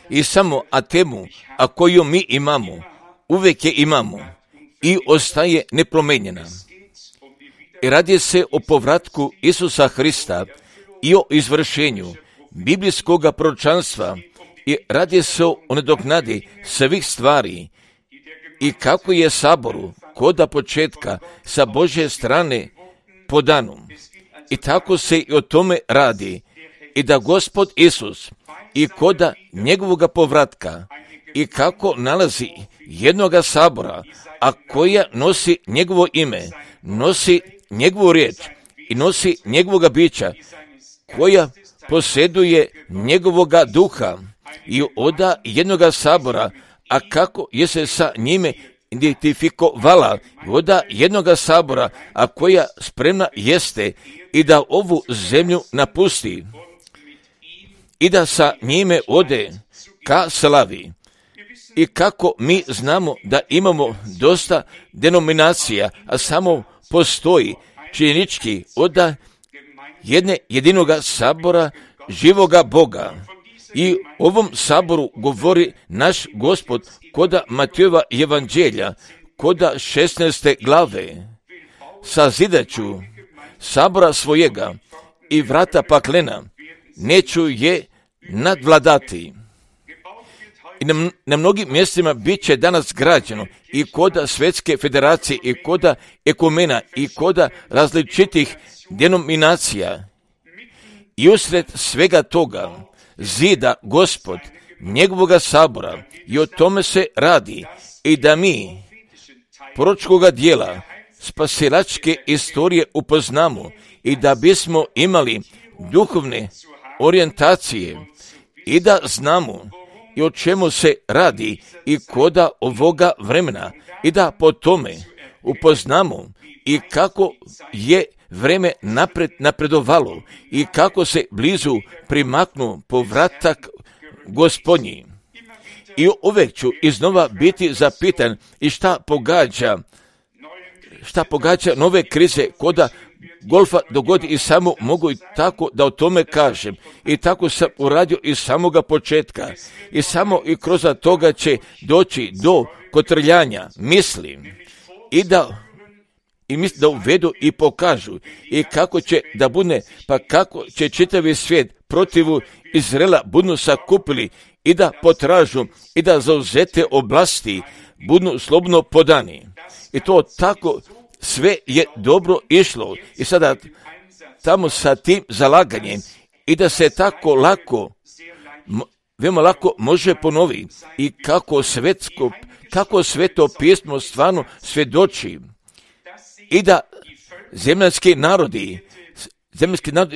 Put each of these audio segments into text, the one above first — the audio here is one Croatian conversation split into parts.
I samo temu, koju mi imamo, uvijek je imamo i ostaje nepromijenjena. I radi se o povratku Isusa Hrista i o izvršenju biblijskog proročanstva i radi se o nadoknadi svih stvari i kako je Saboru koda početka sa Božje strane podano. I tako se i o tome radi i da Gospod Isus i koda njegovog povratka i kako nalazi jednoga Sabora, a koja nosi njegovo ime, nosi njegovu riječ i nosi njegovoga bića, koja posjeduje njegovoga duha i oda jednoga Sabora, a kako je se sa njime identifikovala oda jednoga Sabora, a koja spremna jeste i da ovu zemlju napusti i da sa njime ode ka slavi. I kako mi znamo da imamo dosta denominacija, a samo postoji činjenički oda jedinoga Sabora živoga Boga. I ovom Saboru govori naš Gospod koda Matejova evanđelja, koda 16. glave. Sazidaću Sabora svojega i vrata paklena neću je nadvladati. I na mnogim mjestima bit će danas građeno i koda Svjetske federacije i koda ekumena i koda različitih denominacija. I usred svega toga zida Gospod njegovoga Sabora i o tome se radi i da mi proročkoga dijela spasilačke istorije upoznamo i da bismo imali duhovne orijentacije i da znamo i o čemu se radi i koda ovoga vremena i da po tome upoznamo i kako je vreme napredovalo i kako se blizu primaknu povratak Gospodnji. I uvijek ću iznova biti zapitan i šta pogađa nove krize koda golfa dogodi i samo mogu i tako da o tome kažem. I tako sam uradio iz samoga početka. I samo i kroz toga će doći do kotrljanja misli i da uvedu i pokažu i kako će da bude, pa kako će čitavi svijet protivu Izraela budu sakupili i da potražu i da zauzete oblasti budu slobodno podani. I to tako sve je dobro išlo i sada tamo sa tim zalaganjem i da se tako veoma lako može ponovi i kako sveto pismo stvarno svjedoči i da zemaljski narodi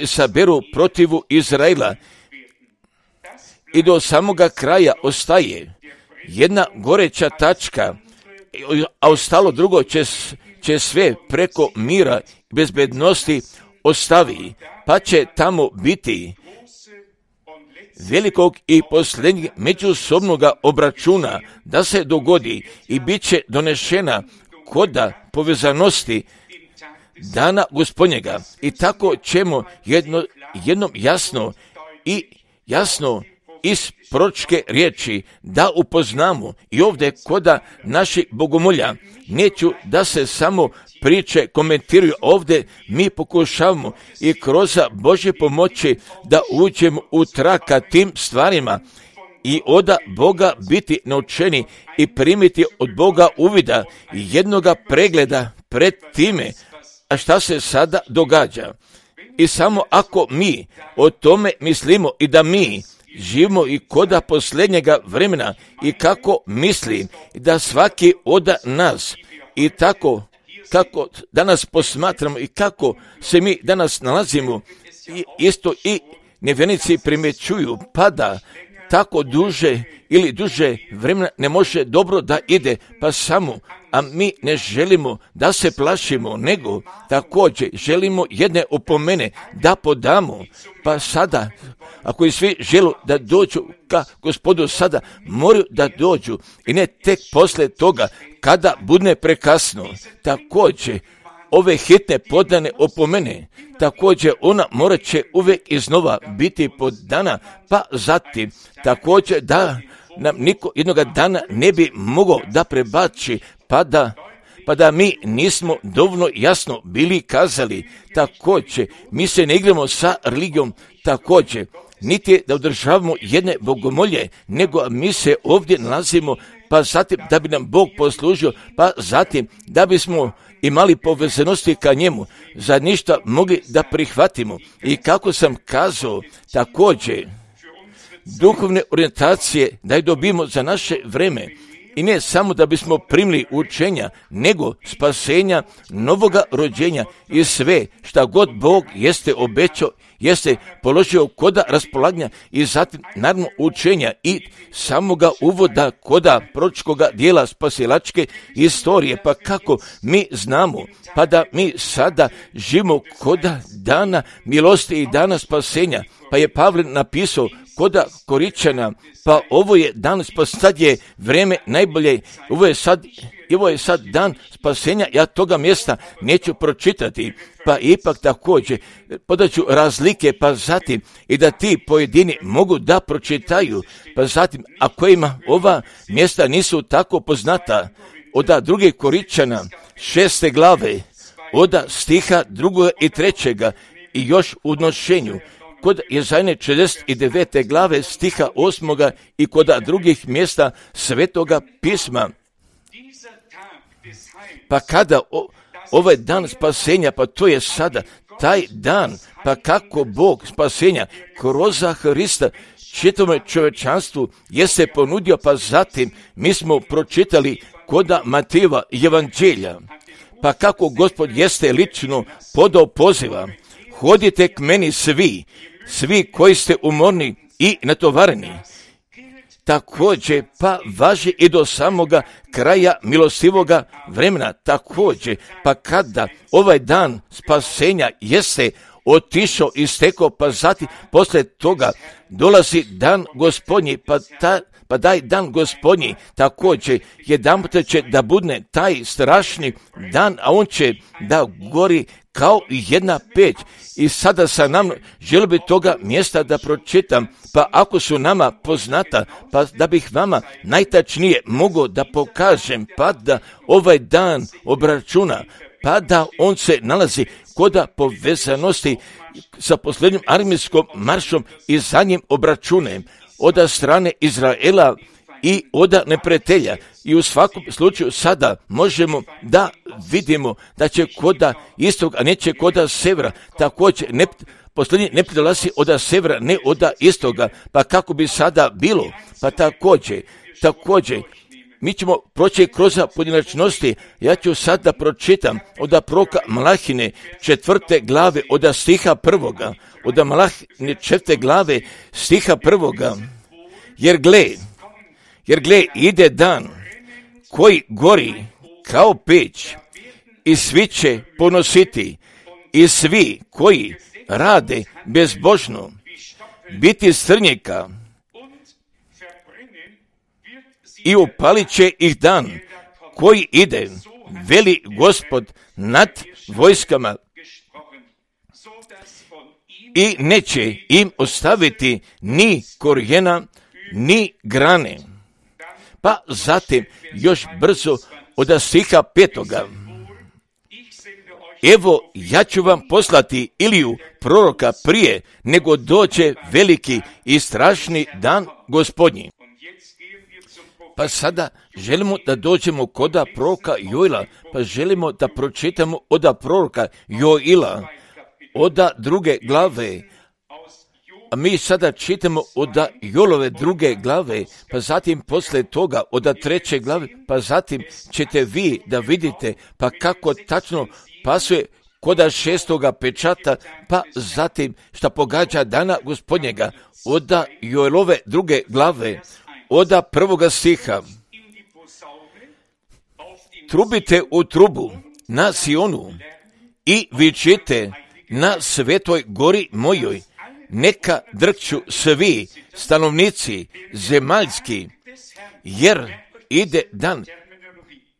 saberu protivu Izraela i do samoga kraja ostaje jedna goreća tačka, a ostalo drugo će sve preko mira i bezbednosti ostavi, pa će tamo biti velikog i posljednjeg međusobnog obračuna da se dogodi i bit će donešena koda povezanosti dana Gospodnjega. I tako ćemo jednom jasno iz proročke riječi da upoznamo i ovdje koda naših bogomolja. Neću da se samo priče komentiraju, ovdje mi pokušavamo i kroz Božje pomoći da uđemo u traka tim stvarima i od Boga biti naučeni i primiti od Boga uvida i jednoga pregleda pred time, a šta se sada događa. I samo ako mi o tome mislimo i da mi živimo i koda posljednjega vremena i kako mislim da svaki od nas i tako kako danas posmatramo i kako se mi danas nalazimo i isto i nevjernici primjećuju pada tako duže vremena ne može dobro da ide, pa samo, a mi ne želimo da se plašimo, nego također želimo jedne opomene da podamo, pa sada, ako i svi žele da dođu ka Gospodu sada, moraju da dođu i ne tek poslije toga kada bude prekasno. Također, ove hitne podane opomene, također ona morat će uvijek iznova biti podana, pa zatim također da nam niko jednoga dana ne bi mogao da prebaci, pa da mi nismo dovoljno jasno bili kazali. Također, mi se ne igramo sa religijom, također, niti da održavamo jedne bogomolje, nego mi se ovdje nalazimo, pa zatim da bi nam Bog poslužio, pa zatim da bismo imali povezanosti ka njemu, za ništa mogli da prihvatimo. I kako sam kazao, također, duhovne orijentacije da je dobijemo za naše vreme, i ne samo da bismo primili učenja, nego spasenja, novoga rođenja i sve šta god Bog jeste obećao, jeste položio koda raspolaganja i zatim naravno učenja i samoga uvoda koda proročkoga dijela spasilačke istorije. Pa kako mi znamo, pa da mi sada živimo koda dana milosti i dana spasenja, pa je Pavle napisao koda Koričana, pa ovo je dan sad je vreme najbolje, ovo je sad dan spasenja, ja toga mjesta neću pročitati, pa ipak također podaću razlike, pa zatim i da ti pojedini mogu da pročitaju, pa zatim a kojima ova mjesta nisu tako poznata, od druge Koričana 6. glave, od stiha 2. i 3. i još u odnošenju, kod Jezajne 49. glave stiha 8. i kod drugih mjesta Svetoga pisma. Pa kada ovaj dan spasenja, pa to je sada taj dan, pa kako Bog spasenja kroz Hrista čitavome čovječanstvu jeste ponudio, pa zatim mi smo pročitali koda Matejeva evanđelja, pa kako Gospod jeste lično podao poziva: hodite k meni svi koji ste umorni i natovareni. Također, pa važi i do samoga kraja milostivoga vremena. Također, pa kada ovaj dan spasenja jeste otišao i stekao, pa zatim poslije toga dolazi dan Gospodnji, pa daj dan Gospodnji također jedanput će da budne taj strašni dan, a on će da gori kao jedna peć. I sada sa nam želio bi toga mjesta da pročitam, pa ako su nama poznata, pa da bih vama najtačnije mogao da pokažem, pa da ovaj dan obračuna, pa da on se nalazi koda povezanosti sa posljednjim armijskom maršom i zadnjim obračunem od strane Izraela i od neprijatelja. I u svakom slučaju sada možemo da vidimo da će koda istog, a neće koda severa. Također posljednji ne dolazi od severa, ne od istoga. Pa kako bi sada bilo? Pa također mi ćemo proći kroz pojedinačnosti. Ja ću sad da pročitam od proroka Malahine 4. glave od stiha 1. Od Malahine 4. glave stiha 1. Jer gle, ide dan koji gori kao peć i svi će ponositi i svi koji rade bezbožno biti strnjaka i upalit će ih dan koji ide, veli Gospod nad vojskama, i neće im ostaviti ni korijena ni grane. Pa zatim još brzo od stiha 5. Evo, ja ću vam poslati Iliju proroka prije nego dođe veliki i strašni dan Gospodnji. Pa sada želimo da dođemo koda proroka Joila, pa želimo da pročitamo od proroka Joila, od 2. glave. A mi sada čitamo od Joilove 2. glave, pa zatim poslije toga od 3. glave, pa zatim ćete vi da vidite pa kako tačno pasuje koda 6. pečata, pa zatim šta pogađa dana Gospodnjega od Joilove 2. glave, od 1. stiha. Trubite u trubu na Sionu i vičite na svetoj gori mojoj, neka drkću svi stanovnici zemaljski, jer ide dan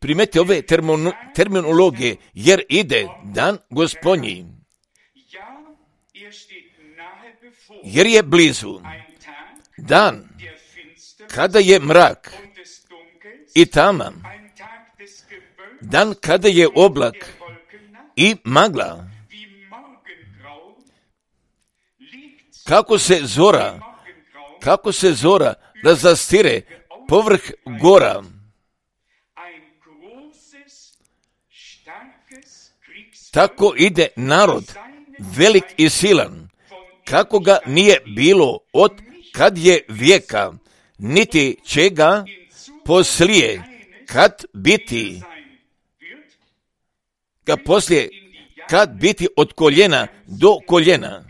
primeti ove terminologije, jer ide dan Gospodnji, jer je blizu dan kada je mrak i tama, dan kada je oblak i magla, kako se zora razastire povrh gora. Tako ide narod velik i silan, kako ga nije bilo od kad je vijeka, niti će ga poslije kad biti od koljena do koljena.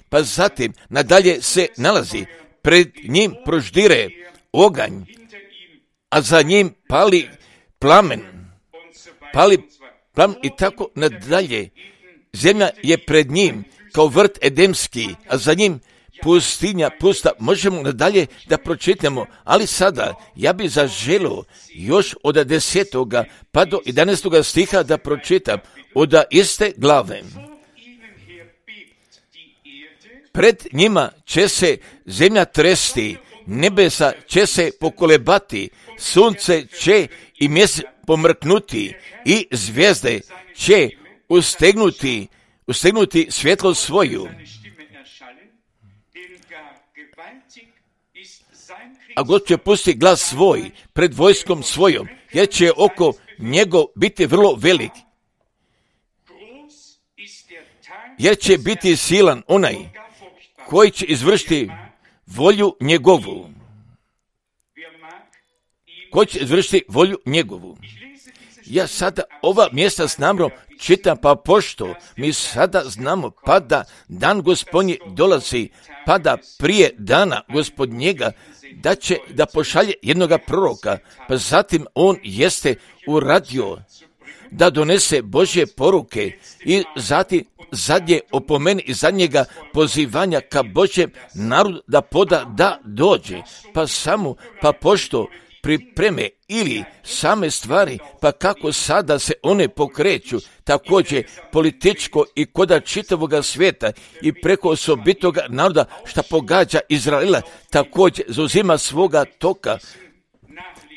Pa zatim nadalje se nalazi, pred njim proždire oganj, a za njim pali plamen i tako nadalje. Zemlja je pred njim kao vrt edemski, a za njim pustinja pusta. Možemo nadalje da pročitamo, ali sada ja bih zaželio još od 10. pa do 11. stiha da pročitam od iste glave. Pred njima će se zemlja tresti, nebesa će se pokolebati, sunce će i mjesec pomrknuti i zvijezde će ustegnuti svjetlo svoju. A God će pusti glas svoj pred vojskom svojom, jer će oko njegov biti vrlo velik. Jer će biti silan onaj koji će izvršiti volju njegovu. Ja sada ova mjesta s namrom čitam, pa pošto mi sada znamo pa da dan Gospodnji dolazi, pa da prije dana Gospodnjega da će da pošalje jednoga proroka, pa zatim on jeste uradio da donese Božje poruke i zatim zadnje opomeni i zadnjega pozivanja ka Božjem narodu da poda da dođe, pa pošto pripreme ili same stvari, pa kako sada se one pokreću, također političko i koda čitavoga svijeta i preko osobitoga naroda šta pogađa Izraela, također zauzima svoga toka.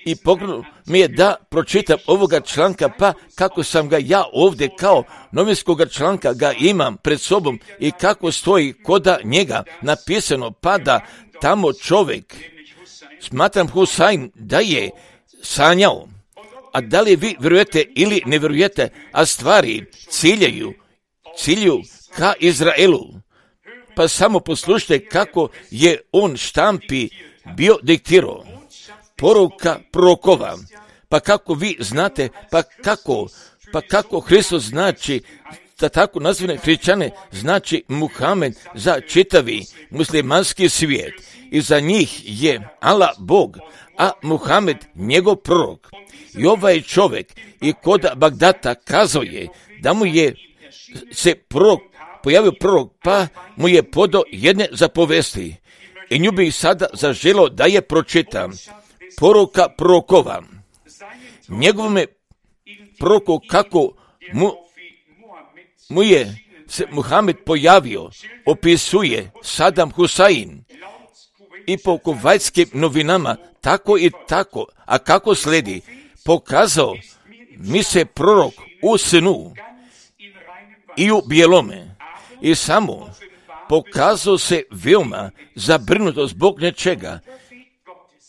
I pogledno mi je da pročitam ovoga članka, pa kako sam ga ja ovdje kao novinskoga članka ga imam pred sobom i kako stoji koda njega napisano, pa da tamo čovjek, smatram Husain, da je sanjao. A da li vi vjerujete ili ne vjerujete, a stvari ciljuju ka Izraelu. Pa samo poslušajte kako je on štampi bio diktirao. Poruka prorokova. Pa kako vi znate, pa kako Hristos znači, da tako nazvane hrišćane znači Muhamed za čitavi muslimanski svijet. I za njih je Allah Bog, a Muhamed njegov prorok. I ovaj čovjek i kod Bagdata kazao je da mu je se pojavio prorok, pa mu je podao jedne zapovesti. I nju bih sada zaželio da je pročitam. Poruka prorokova. Njegovome proroku kako mu je se Muhamed pojavio, opisuje Sadam Husain i po kuvajtskim novinama tako i tako, a kako slijedi, pokazao mi se prorok u snu i u bijelome i samo pokazao se veoma zabrinuto zbog nečega.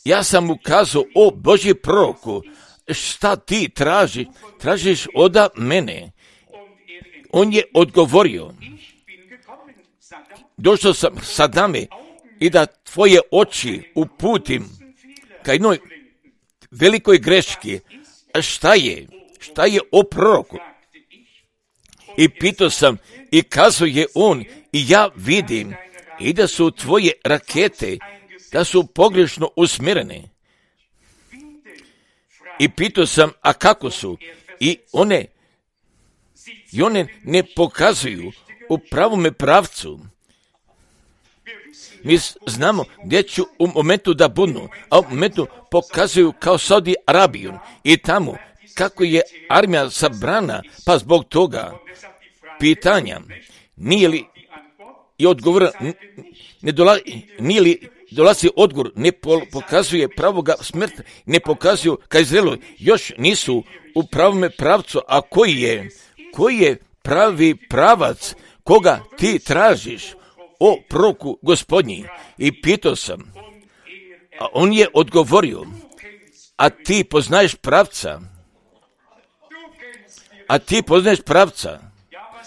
Ja sam mu kazao, o Božji proroku, šta ti tražiš od mene? On je odgovorio, došao sam Sadame i da tvoje oči uputim ka jednoj velikoj greški. A šta je o proroku? I pitao sam i kazao je on, i ja vidim i da su tvoje rakete, da su pogrešno usmjerene. I pitao sam, a kako su? I one ne pokazuju u pravome pravcu. Mi znamo gdje ću u momentu da budnu, a u momentu pokazuju kao Saudi Arabiju i tamo kako je armija sabrana, pa zbog toga pitanja nije li i odgovor nije li dolazi odgovor, ne pokazuje pravoga smrti, ne pokazuju ka Izraelu, još nisu u pravome pravcu, a koji je pravi pravac koga ti tražiš, o proroku Gospodnji? I pitao sam, a on je odgovorio, a ti poznaješ pravca? A ti poznaješ pravca?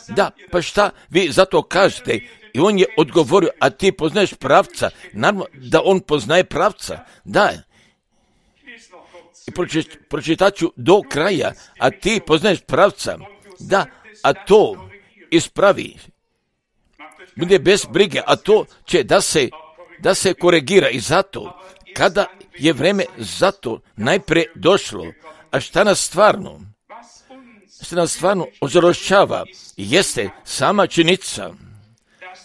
Da, pa šta vi zato kažete? I on je odgovorio, a ti poznaješ pravca? Naravno da on poznaje pravca. Da. I pročitat ću do kraja, a ti poznaješ pravca? Da, a to ispravi. Bude bez brige, a to će da se koregira i zato, kada je vreme zato najprije došlo, a šta nas stvarno ožalošćava, jeste sama činjenica.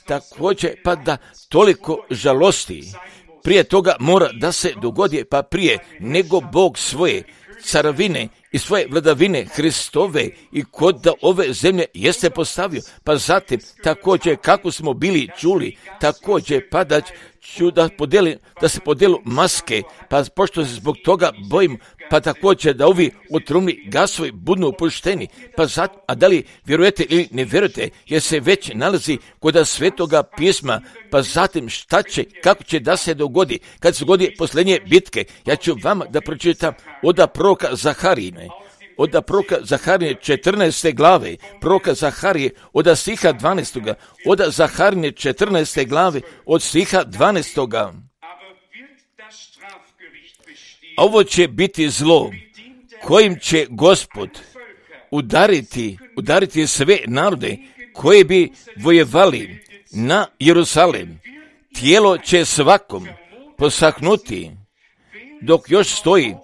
Također, pa da toliko žalosti, prije toga mora da se dogodi, pa prije nego Bog svoje carovine i svoje vladavine Hristove i kod ove zemlje jeste postavio, pa zatim također kako smo bili čuli, također pa da ću da se podelu maske, pa pošto se zbog toga bojim, pa također da ovi otrovni gasovi budu opušteni, pa zatim, a da li vjerujete ili ne vjerujete, jer se već nalazi kod Svetoga pisma, pa zatim šta će, kako će da se dogodi, kad se dogodi posljednje bitke. Ja ću vama da pročitam od proroka Zaharije, od proroka Zaharije 14. glave, proroka Zaharije od stiha 12. od Zaharije 14. glave od stiha 12. Ovo će biti zlo kojim će Gospod udariti sve narode koji bi vojevali na Jerusalem. Tijelo će svakom posahnuti dok još stoji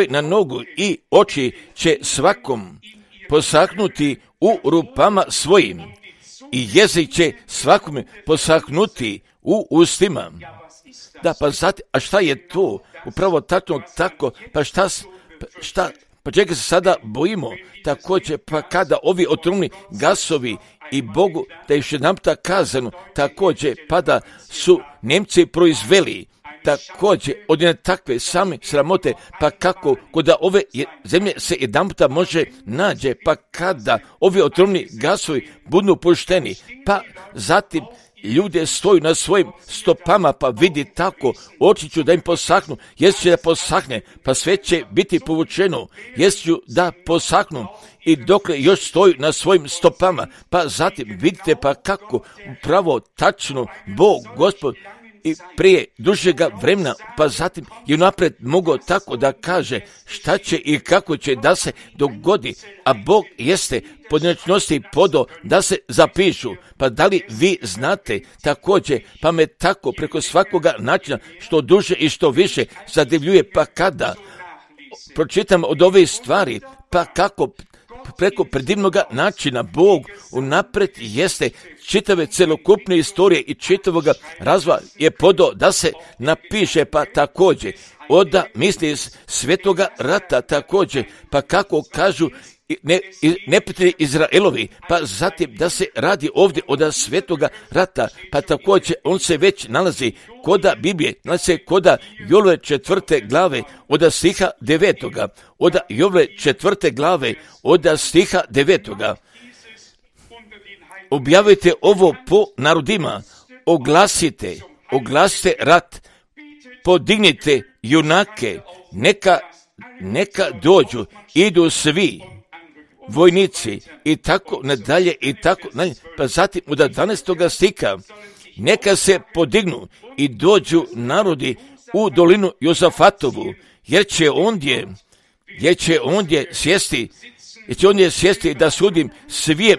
na nogu i oči će svakom posahnuti u rupama svojim i jezik će svakome posahnuti u ustima. Da, pa zatim, a šta je to? Upravo tako, pa čega se sada bojimo? Također, pa kada ovi otrovni gasovi i Bogu, da je još jedanputa kazano, također, pa da su Nemci proizveli također od jedne takve same sramote, pa kako kod ove zemlje se jedanputa može nađe, pa kada ovi otrovni gasovi budu pušteni, pa zatim ljude stoju na svojim stopama, pa vidi tako, oči ću da im posahnu, jest će da posahne, pa sve će biti povučeno, jest ću da posahnu i dokle još stoju na svojim stopama, pa zatim vidite pa kako upravo tačno Bog, Gospod, i prije dužega vremena, pa zatim je napred mogao tako da kaže šta će i kako će da se dogodi, a Bog jeste pojedinačnosti podo da se zapišu. Pa da li vi znate također, pa me tako preko svakoga načina što duže i što više zadivljuje, pa kada pročitam od ove stvari, pa kako preko predivnog načina Bog unapred jeste čitave celokupne istorije i čitavog razvoja je podao da se napiše, pa također od misli iz svetoga rata također, pa kako kažu neprijatelji Izraelovi, pa zatim da se radi ovdje od svetoga rata, pa također on se već nalazi koda Biblije, nalazi se koda Jovove 4. glave od stiha 9. Od Jovove 4. glave od stiha 9. Objavite ovo po narodima, oglasite rat, podignite junake, neka dođu, idu svi vojnici i tako nadalje i tako nadalje. Pa zatim od 12. stiha, neka se podignu i dođu narodi u dolinu Jozafatovu, jer će ondje sjesti da sudim svim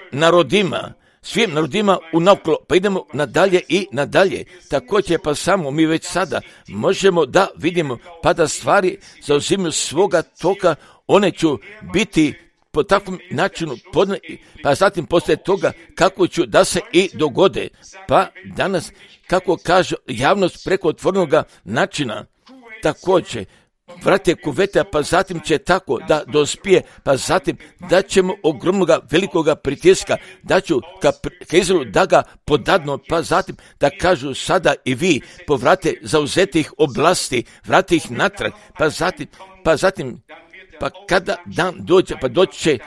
narodima unaprijed. Pa idemo nadalje i nadalje. Također pa samo mi već sada možemo da vidimo pa da stvari zauzimaju svoga toka, one će biti po takvom načinu, pa zatim poslije toga kako ću da se i dogode. Pa danas, kako kaže javnost preko otvorenoga načina, također, vrate kuveta, pa zatim će tako da dospije, pa zatim da ćemo ogromnoga velikoga pritiska, da ću ka Izraelu da ga podadno, pa zatim da kažu sada i vi povrate zauzetih oblasti, vrate ih natrag, pa zatim kada dan dođe, pa doći će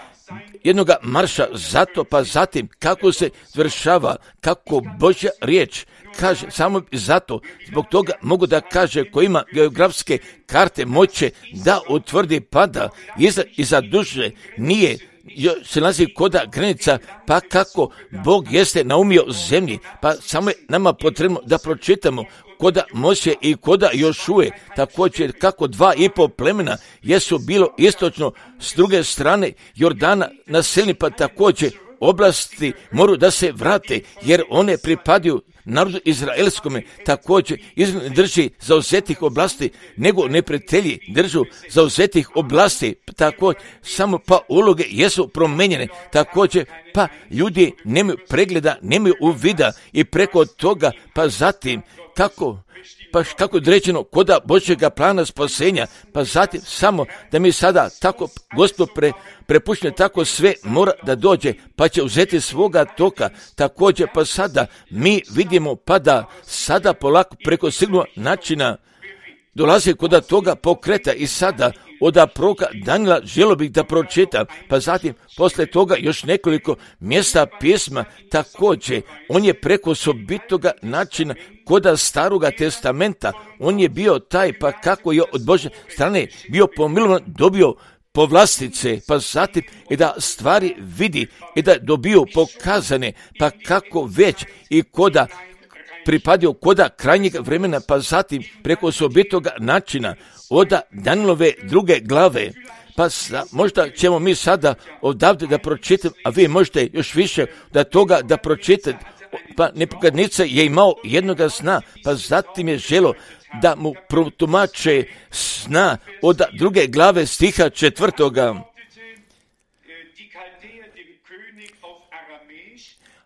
jednoga marša zato, pa zatim kako se završava, kako Božja riječ kaže, samo zato, zbog toga mogu da kaže ko ima geografske karte moće da utvrdi pada iza duže nije se nalazi koda granica, pa kako Bog jeste naumio zemlji, pa samo je nama potrebno da pročitamo koda Mose i koda Jošue, također kako 2,5 plemena jesu bilo istočno s druge strane Jordana naseljeni, pa također oblasti moraju da se vrate, jer one pripadaju narodu izraelskome, također Izrael drži zauzetih oblasti, nego neprijatelji držu zauzetih oblasti, također samo pa uloge jesu promenjene, također pa ljudi nemaju pregleda, nemaju uvida i preko toga, pa zatim kako je određeno koda Božjega plana spasenja, pa zatim samo da mi sada tako Gospod prepušten tako sve mora da dođe, pa će uzeti svoga toka, također pa sada mi vidimo pa da sada polako preko sigurnog načina dolazi koda toga pokreta i sada od proroka Danila želio bih da pročitam, pa zatim posle toga još nekoliko mjesta pisma, također on je preko osobitoga načina koda Staroga testamenta, on je bio taj, pa kako je od Božje strane bio pomilovan, dobio povlastice, pa zatim i da stvari vidi i da dobio pokazane, pa kako već i koda pripadio koda krajnjeg vremena, pa zatim preko osobitoga načina od Danilove 2. glave, pa možda ćemo mi sada odavde da pročitam, a vi možete još više da toga da pročitate, pa Nebukadnezar je imao jednoga sna, pa zatim je želo da mu protumače sna od 2. glave stiha 4.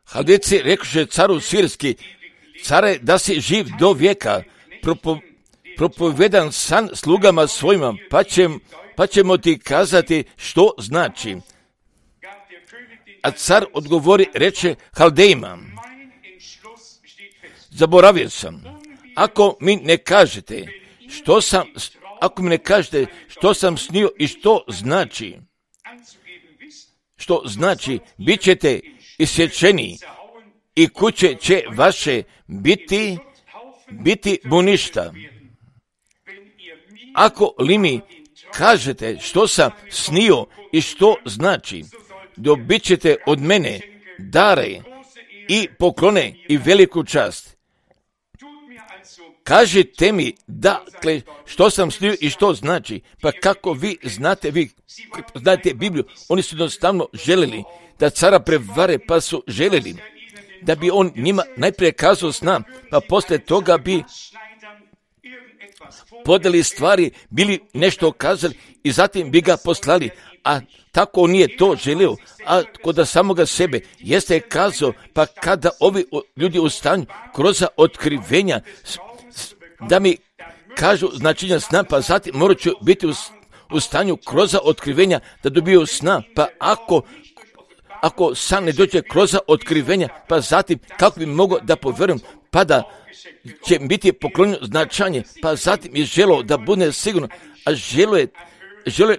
Haldejci rekoše caru sirski, care, da si živ do vijeka, propovedan san slugama svojima, pa ćemo ti kazati što znači. A car odgovori, reče Haldejima, zaboravio sam, ako mi ne kažete što sam snio i što znači, bit ćete isječeni i kuće će vaše biti buništa. Ako li mi kažete što sam snio i što znači, dobit ćete od mene dare i poklone i veliku čast. Kažite mi, dakle, što sam snio i što znači, pa kako vi znate Bibliju, oni su jednostavno željeli da cara prevare, pa su željeli da bi on njima najprije kazao sna, pa poslije toga bi podeli stvari, bili nešto kazali i zatim bi ga poslali, a tako on nije to želio, a kod samoga sebe jeste kazao, pa kada ovi ljudi u stanju kroz otkrivenja da mi kažu značenja sna, pa zatim morat ću biti u stanju kroz otkrivenja da dobiju sna, pa ako san ne dođe kroz otkrivenja, pa zatim kako bi mogao da povjerujem, pa da će biti poklonjeno značanje, pa zatim je želeo da bude sigurno, a želeo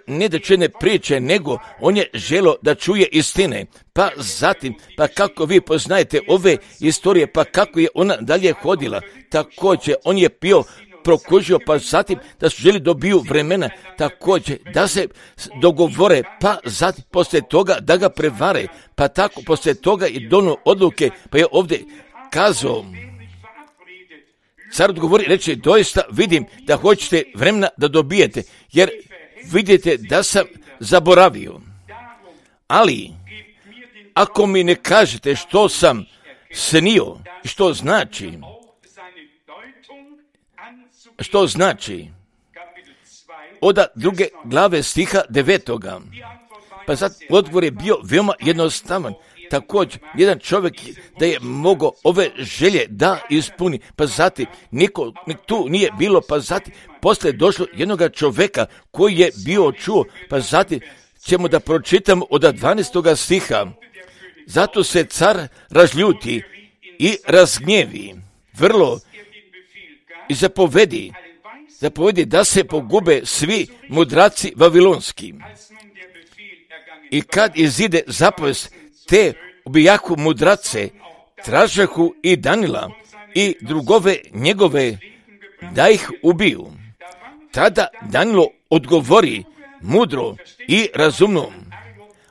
ne da čuje ne priče, nego on je želeo da čuje istine. Pa zatim, pa kako vi poznajete ove istorije, pa kako je ona dalje hodila, također on je bio prokužio, pa zatim da su želi dobiju vremena, također da se dogovore, pa zatim poslije toga da ga prevare, pa tako poslije toga i donio odluke, pa je ovdje kazao, car odgovori, reče, doista vidim da hoćete vremena da dobijete, jer vidite da sam zaboravio. Ali, ako mi ne kažete što sam snio i što znači, od 2. glave stiha 9. Pa sad odgovor je bio veoma jednostavan. Također, jedan čovjek da je mogao ove želje da ispuni, pa zatim niko tu nije bilo, pa zatim poslije došlo jednoga čovjeka koji je bio čuo, pa zatim ćemo da pročitamo od 12. stiha. Zato se car razljuti i razgnjevi vrlo i zapovedi da se pogube svi mudraci vavilonski. I kad izide zapovest, te ubijahu mudrace, tražahu i Danila i drugove njegove da ih ubiju. Tada Danilo odgovori mudro i razumno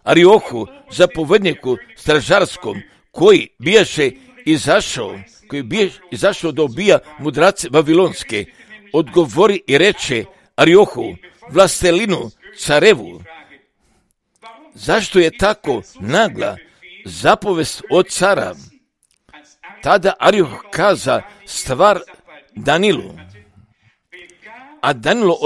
Ariohu, zapovedniku stražarskom, koji bijaše izašao da ubija mudrace vavilonske, odgovori i reče Ariohu, vlastelinu carevu, zašto je tako nagla zapovest od cara? Tada Arioh kaza stvar Danilu, a Danilo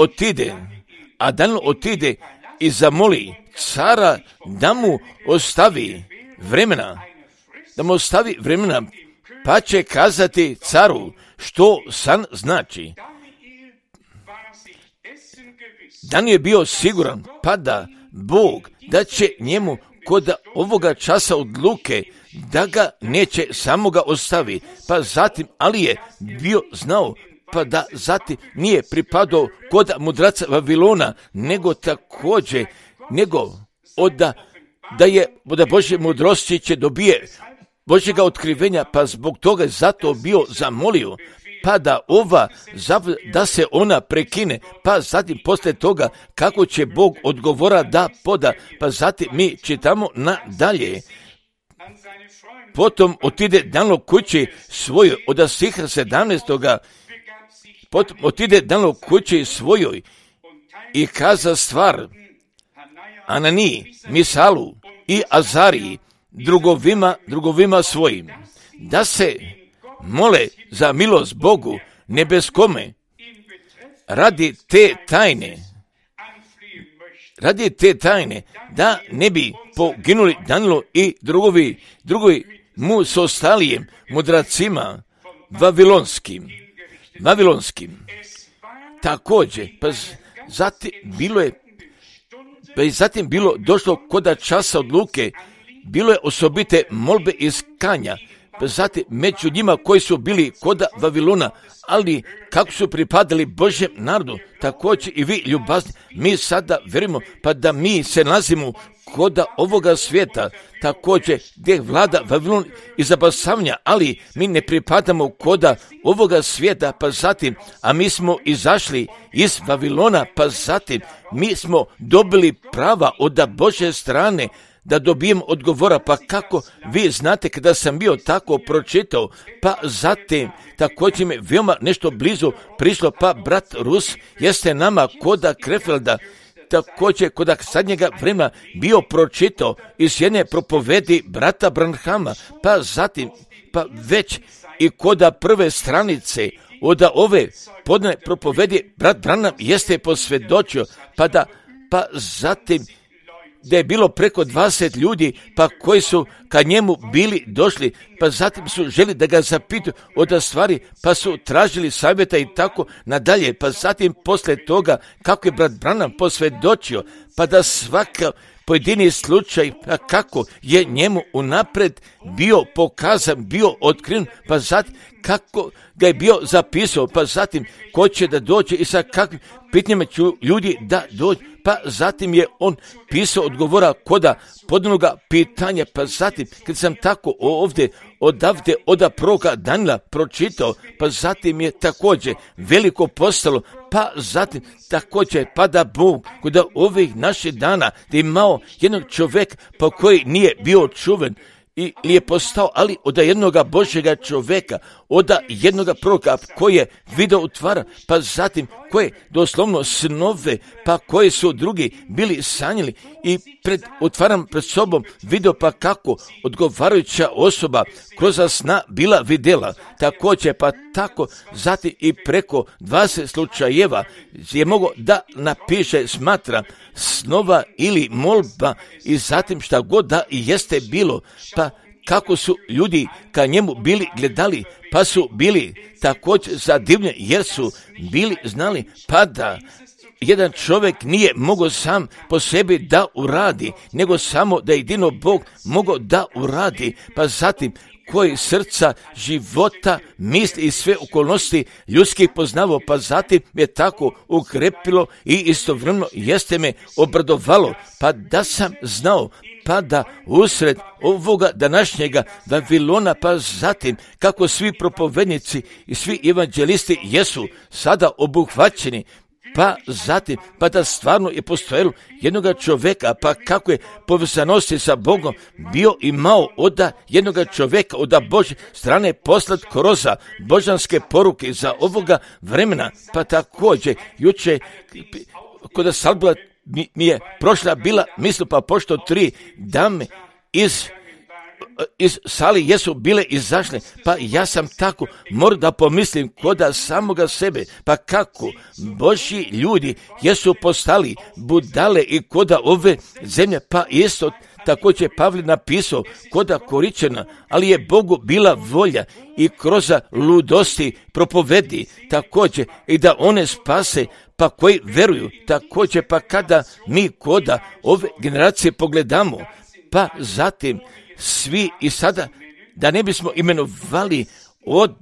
otide i zamoli cara da mu ostavi vremena, pa će kazati caru što san znači. Danilo je bio siguran, pa da Bog da će njemu kod ovoga časa odluke da ga neće samoga ostavi, pa zatim, ali je bio znao, pa da zatim nije pripadao kod mudraca Vavilona, nego također, da Božje mudrosti će dobije Božjega otkrivenja, pa zbog toga je zato bio zamolio, pa da se ona prekine, pa zatim poslije toga kako će Bog odgovora da poda, pa zatim mi čitamo nadalje. Potom otide Danilo kući svojoj, od stiha 17. Potom otide Danilo kući svojoj i kaza stvar Ananiji, Misalu i Azariji, drugovima svojim, da se mole za milost Bogu nebeskome radi te tajne, da ne bi poginuli Danilo i drugovi mu s ostalijem mudracima vavilonskim. Također, pa zatim bilo došlo koda časa odluke, bilo je osobite molbe iz kanja, pa zatim među njima koji su bili koda Vavilona, ali kako su pripadali Božjem narodu, također i vi ljubazni, mi sada verujemo, pa da mi se nalazimo koda ovoga svijeta, također gdje vlada Vavilon i zabasavanja, ali mi ne pripadamo koda ovoga svijeta, pa zatim, a mi smo izašli iz Vavilona, pa zatim mi smo dobili prava od Božje strane, da dobijem odgovora, pa kako vi znate kada sam bio tako pročitao, pa zatim također mi veoma nešto blizu prišlo, pa brat Rus jeste nama koda Krefelda, također koda sadnjega vremena bio pročitao iz jedne propovedi brata Branhama, pa zatim, pa već i koda prve stranice od ove podne propovedi brat Branham jeste posvjedočio, pa zatim da je bilo preko 20 ljudi, pa koji su kad njemu bili došli, pa zatim su želi da ga zapitaju od stvari, pa su tražili savjeta i tako nadalje, pa zatim poslije toga kako je brat Branham posvjedočio, pa da svaka pojedini slučaj, pa kako je njemu unaprijed bio pokazan, bio otkriven, pa zatim kako ga je bio zapisao, pa zatim ko će da dođe i sa kakvim pitanjima će ljudi da dođe, pa zatim je on pisao odgovora koda podnoga pitanja, pa zatim kad sam tako ovdje od proroka Danila pročitao, pa zatim je također veliko postalo, pa zatim također pa da Bog kod ovih naših dana da imao jednog čovjeka pa koji nije bio čuven, ili je postao, ali od jednoga Božjega čovjeka, od jednoga proroka koji je video utvara, pa zatim koje doslovno snove, pa koje su drugi bili sanjali i otvaram pred sobom video pa kako odgovarajuća osoba kroz sna bila vidjela. Također pa tako zatim i preko 20 slučajeva je mogo da napiše, smatra snova ili molba i zatim šta god da jeste bilo, pa kako su ljudi ka njemu bili gledali, pa su bili također zadivljeni jer su bili znali pa da jedan čovjek nije mogao sam po sebi da uradi, nego samo da jedino Bog mogao da uradi, pa zatim koji srca, života, misli i sve okolnosti ljudskih poznavao, pa zatim je tako ukrepilo i istovremeno jeste me obradovalo, pa da sam znao, pa da usred ovoga današnjega Vavilona, pa zatim kako svi propovednici i svi evanđelisti jesu sada obuhvaćeni, pa zatim, pa da stvarno je postojalo jednoga čovjeka, pa kako je povezanosti sa Bogom bio imao od jednoga čovjeka, od Božje strane poslat kroz božanske poruke za ovoga vremena, pa također juče kod Salbila mi je prošla bila misl, pa pošto 3 dame iz sali jesu bile izašle, pa ja sam tako morao da pomislim koda samoga sebe, pa kako Božji ljudi jesu postali budale i koda ove zemlje, pa isto također Pavle napisao koda Koričana, ali je Bogu bila volja i kroz ludosti propovedi također i da one spase, pa koji veruju također, pa kada mi koda ove generacije pogledamo, pa zatim svi i sada da ne bismo imenovali od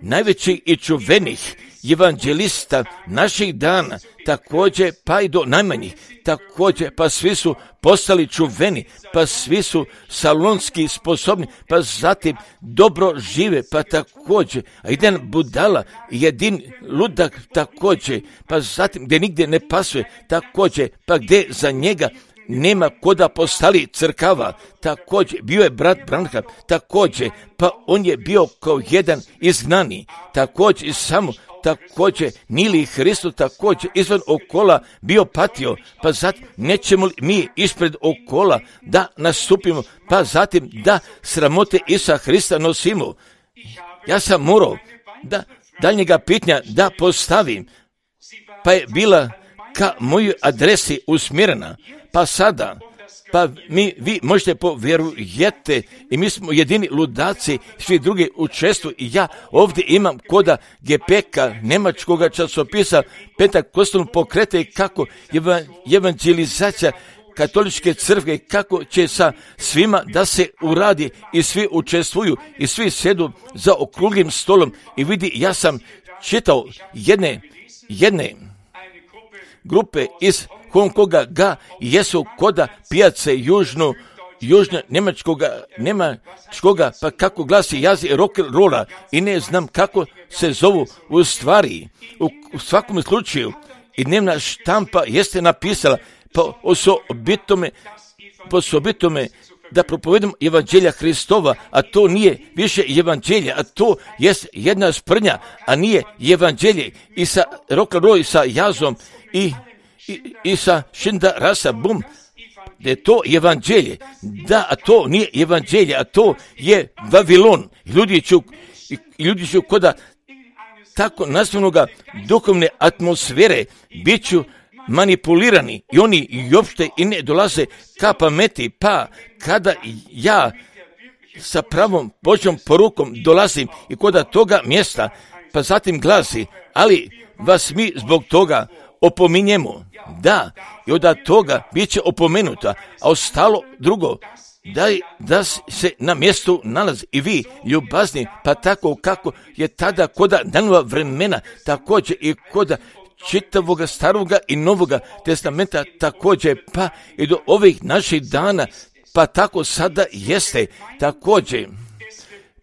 najvećih i čuvenih evanđelista naših dana, također pa i do najmanjih, također pa svi su postali čuveni, pa svi su salonski sposobni, pa zatim dobro žive, pa također, a jedan budala, jedin ludak također, pa zatim gdje nigdje ne pasuje, također, pa gdje za njega nema koda postali crkava, također bio je brat Branham, također, pa on je bio kao jedan izgnani, također samo, također Nili Hristo također izvan okola bio patio, pa zatim nećemo li mi ispred okola da nastupimo, pa zatim da sramote Isusa Hrista nosimo. Ja sam morao da daljnjega pitanja da postavim, pa je bila ka mojoj adresi usmjerena, pa sada, pa vi možete povjerujete i mi smo jedini ludaci, svi drugi učestvuju i ja ovdje imam koda GPK, njemačkoga časopisa Pentakostalnog pokreta i kako evangelizacija katoličke crkve, kako će sa svima da se uradi i svi učestvuju i svi sjedu za okruglim stolom i vidi, ja sam čitao jedne grupe iz Hong Konga ga jesu koda pijace južno njemačkoga, pa kako glasi jazi rock and rolla i ne znam kako se zovu u stvari. U svakom slučaju i dnevna štampa jeste napisala po osobitome da propovedam evanđelja Hristova, a to nije više evanđelje, a to jest jedna sprnja, a nije evanđelje i sa rock and roll i sa jazom i sa šinda rasa bum, da je to evanđelje, da, a to nije evanđelje, a to je Vavilon. Ljudi ću koda tako nazvanoga duhovne atmosfere bit ću manipulirani i oni i uopšte i ne dolaze ka pameti, pa kada ja sa pravom Božjom porukom dolazim i koda toga mjesta, pa zatim glasi, ali vas mi zbog toga opominjemo, da, i od toga bit će opomenuta, a ostalo drugo, da se na mjestu nalazi i vi, ljubazni, pa tako kako je tada koda danova vremena, također i koda čitavoga staroga i novoga testamenta, također pa i do ovih naših dana, pa tako sada jeste, također,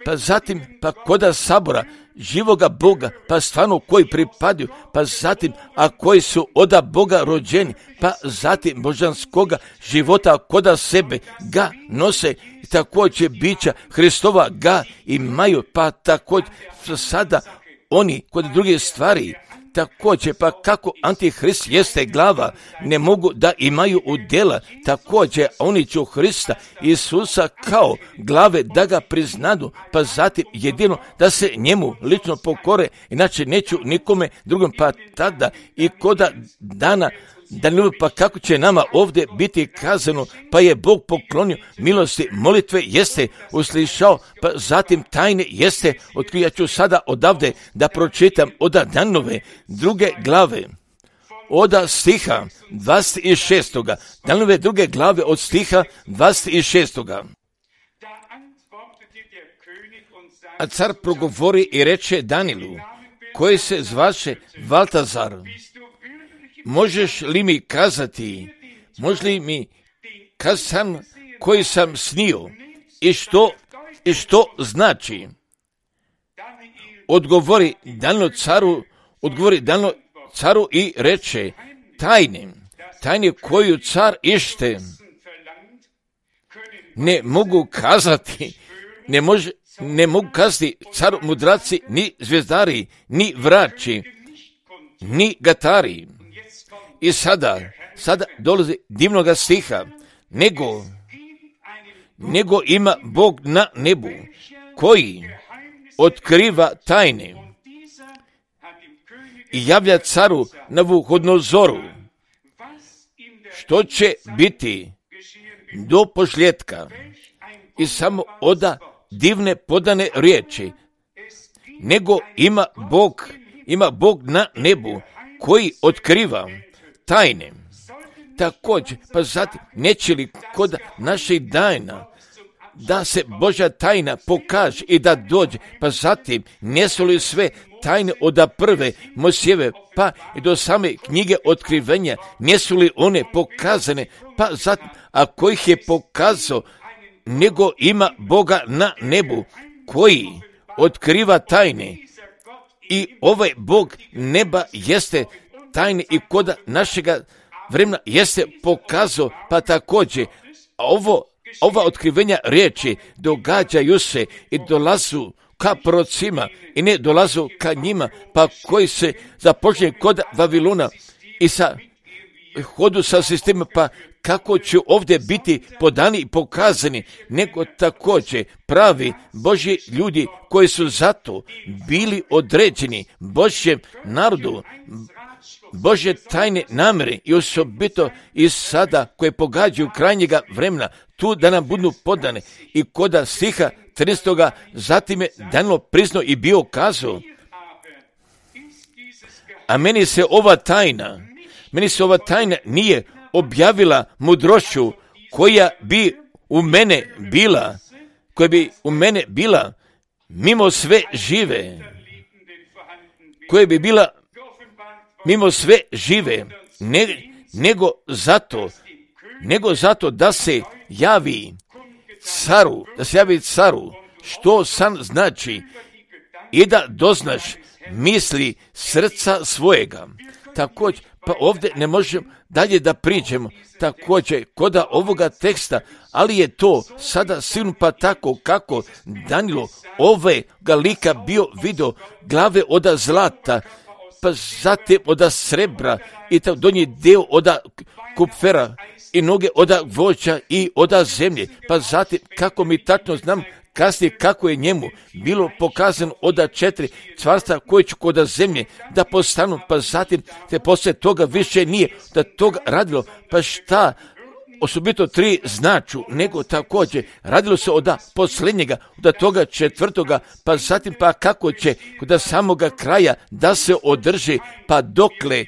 pa zatim pa koda sabora, živoga Boga, pa stvarno koji pripadaju, pa zatim, a koji su od Boga rođeni, pa zatim božanskoga života koda sebe ga nose, također bića Hristova ga imaju, pa također sada oni kod druge stvari također, pa kako Antihrist jeste glava, ne mogu da imaju udjela, također oni će Hrista Isusa kao glave da ga priznadu, pa zatim jedino da se njemu lično pokore, inače neću nikome drugom, pa tada i koda dana Danilo, pa kako će nama ovdje biti kazano, pa je Bog poklonio milosti, molitve jeste uslišao, pa zatim tajne jeste otkrio. Ja ću sada odavde da pročitam od Danilove 2. glave, od stiha 26. Danilove 2. glave od stiha 26. A car progovori i reče Danilu, koji se zvaše Valtazar, možeš li mi kazati, može li mi kazati koji sam snio i što znači? Odgovori Danilo caru i reče, tajne koju car ište ne mogu kazati, ne mogu kazati caru mudraci, ni zvijezdari, ni vrači, ni gatari. I sada dolazi divnoga stiha, nego ima Bog na nebu, koji otkriva tajne i javlja caru Navuhodnozoru, što će biti do posljetka. I samo oda divne podane riječi, nego ima Bog na nebu, koji otkriva tajne. Također, pa zatim, neće li kod naših dana da se Božja tajna pokaže i da dođe, pa zatim, nesu li sve tajne od prve Mojsijeve, pa i do same knjige otkrivenja, nesu li one pokazane, pa zatim, ako ih je pokazao, nego ima Boga na nebu, koji otkriva tajne. I ovaj Bog neba jeste tajne i kod našega vremena jeste pokazao, pa također ova otkrivenja riječi događaju se i dolazu ka prorocima i ne dolazu ka njima, pa koji se započne kod Vavilona i sa hodu sa sistemom, pa kako će ovdje biti podani i pokazani, nego također pravi Božji ljudi koji su zato bili određeni Božjem narodu, Božje tajne namjere i osobito i sada koje pogađaju krajnjega vremena, tu da nam budu podane. I koda stiha 13. zatim je Danilo priznao i bio kazao, a meni se ova tajna nije objavila mudrošću koja bi u mene bila mimo sve žive, nego zato da se javi caru, što san znači i da doznaš misli srca svojega. Također, pa ovdje ne možemo dalje da priđemo, također koda ovoga teksta, ali je to sada sigurno pa tako kako Danilo ovega lika bio vidio glave od zlata, pa zatim od srebra i tako donji dio od kupfera i noge od voća i od zemlje, pa zatim kako mi tačno znam kasnije kako je njemu bilo pokazano od 4 carstva koje će kod zemlje da postanu, pa zatim te poslije toga više nije da toga radilo, pa šta osobito 3 značu, nego također radilo se od posljednjega, od toga 4, pa zatim pa kako će kod samoga kraja da se održi, pa dokle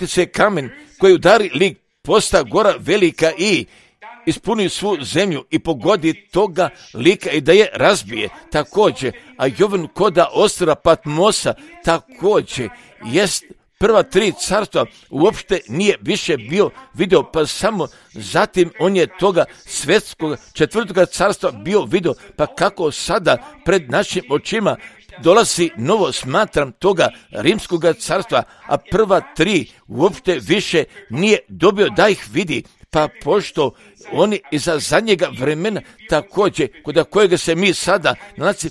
se kamen koji udari lik posta gora velika i ispuni svu zemlju i pogodi toga lika i da je razbije. Također, a Jovan koda ostrva Patmosa također jest prva 3 carstva uopšte nije više bio vidio, pa samo zatim on je toga svetskog 4. carstva bio vidio, pa kako sada pred našim očima dolazi novo, smatram, toga rimskog carstva, a prva 3 uopšte više nije dobio da ih vidi, pa pošto oni iza zadnjega vremena također, kod kojega se mi sada nalazi,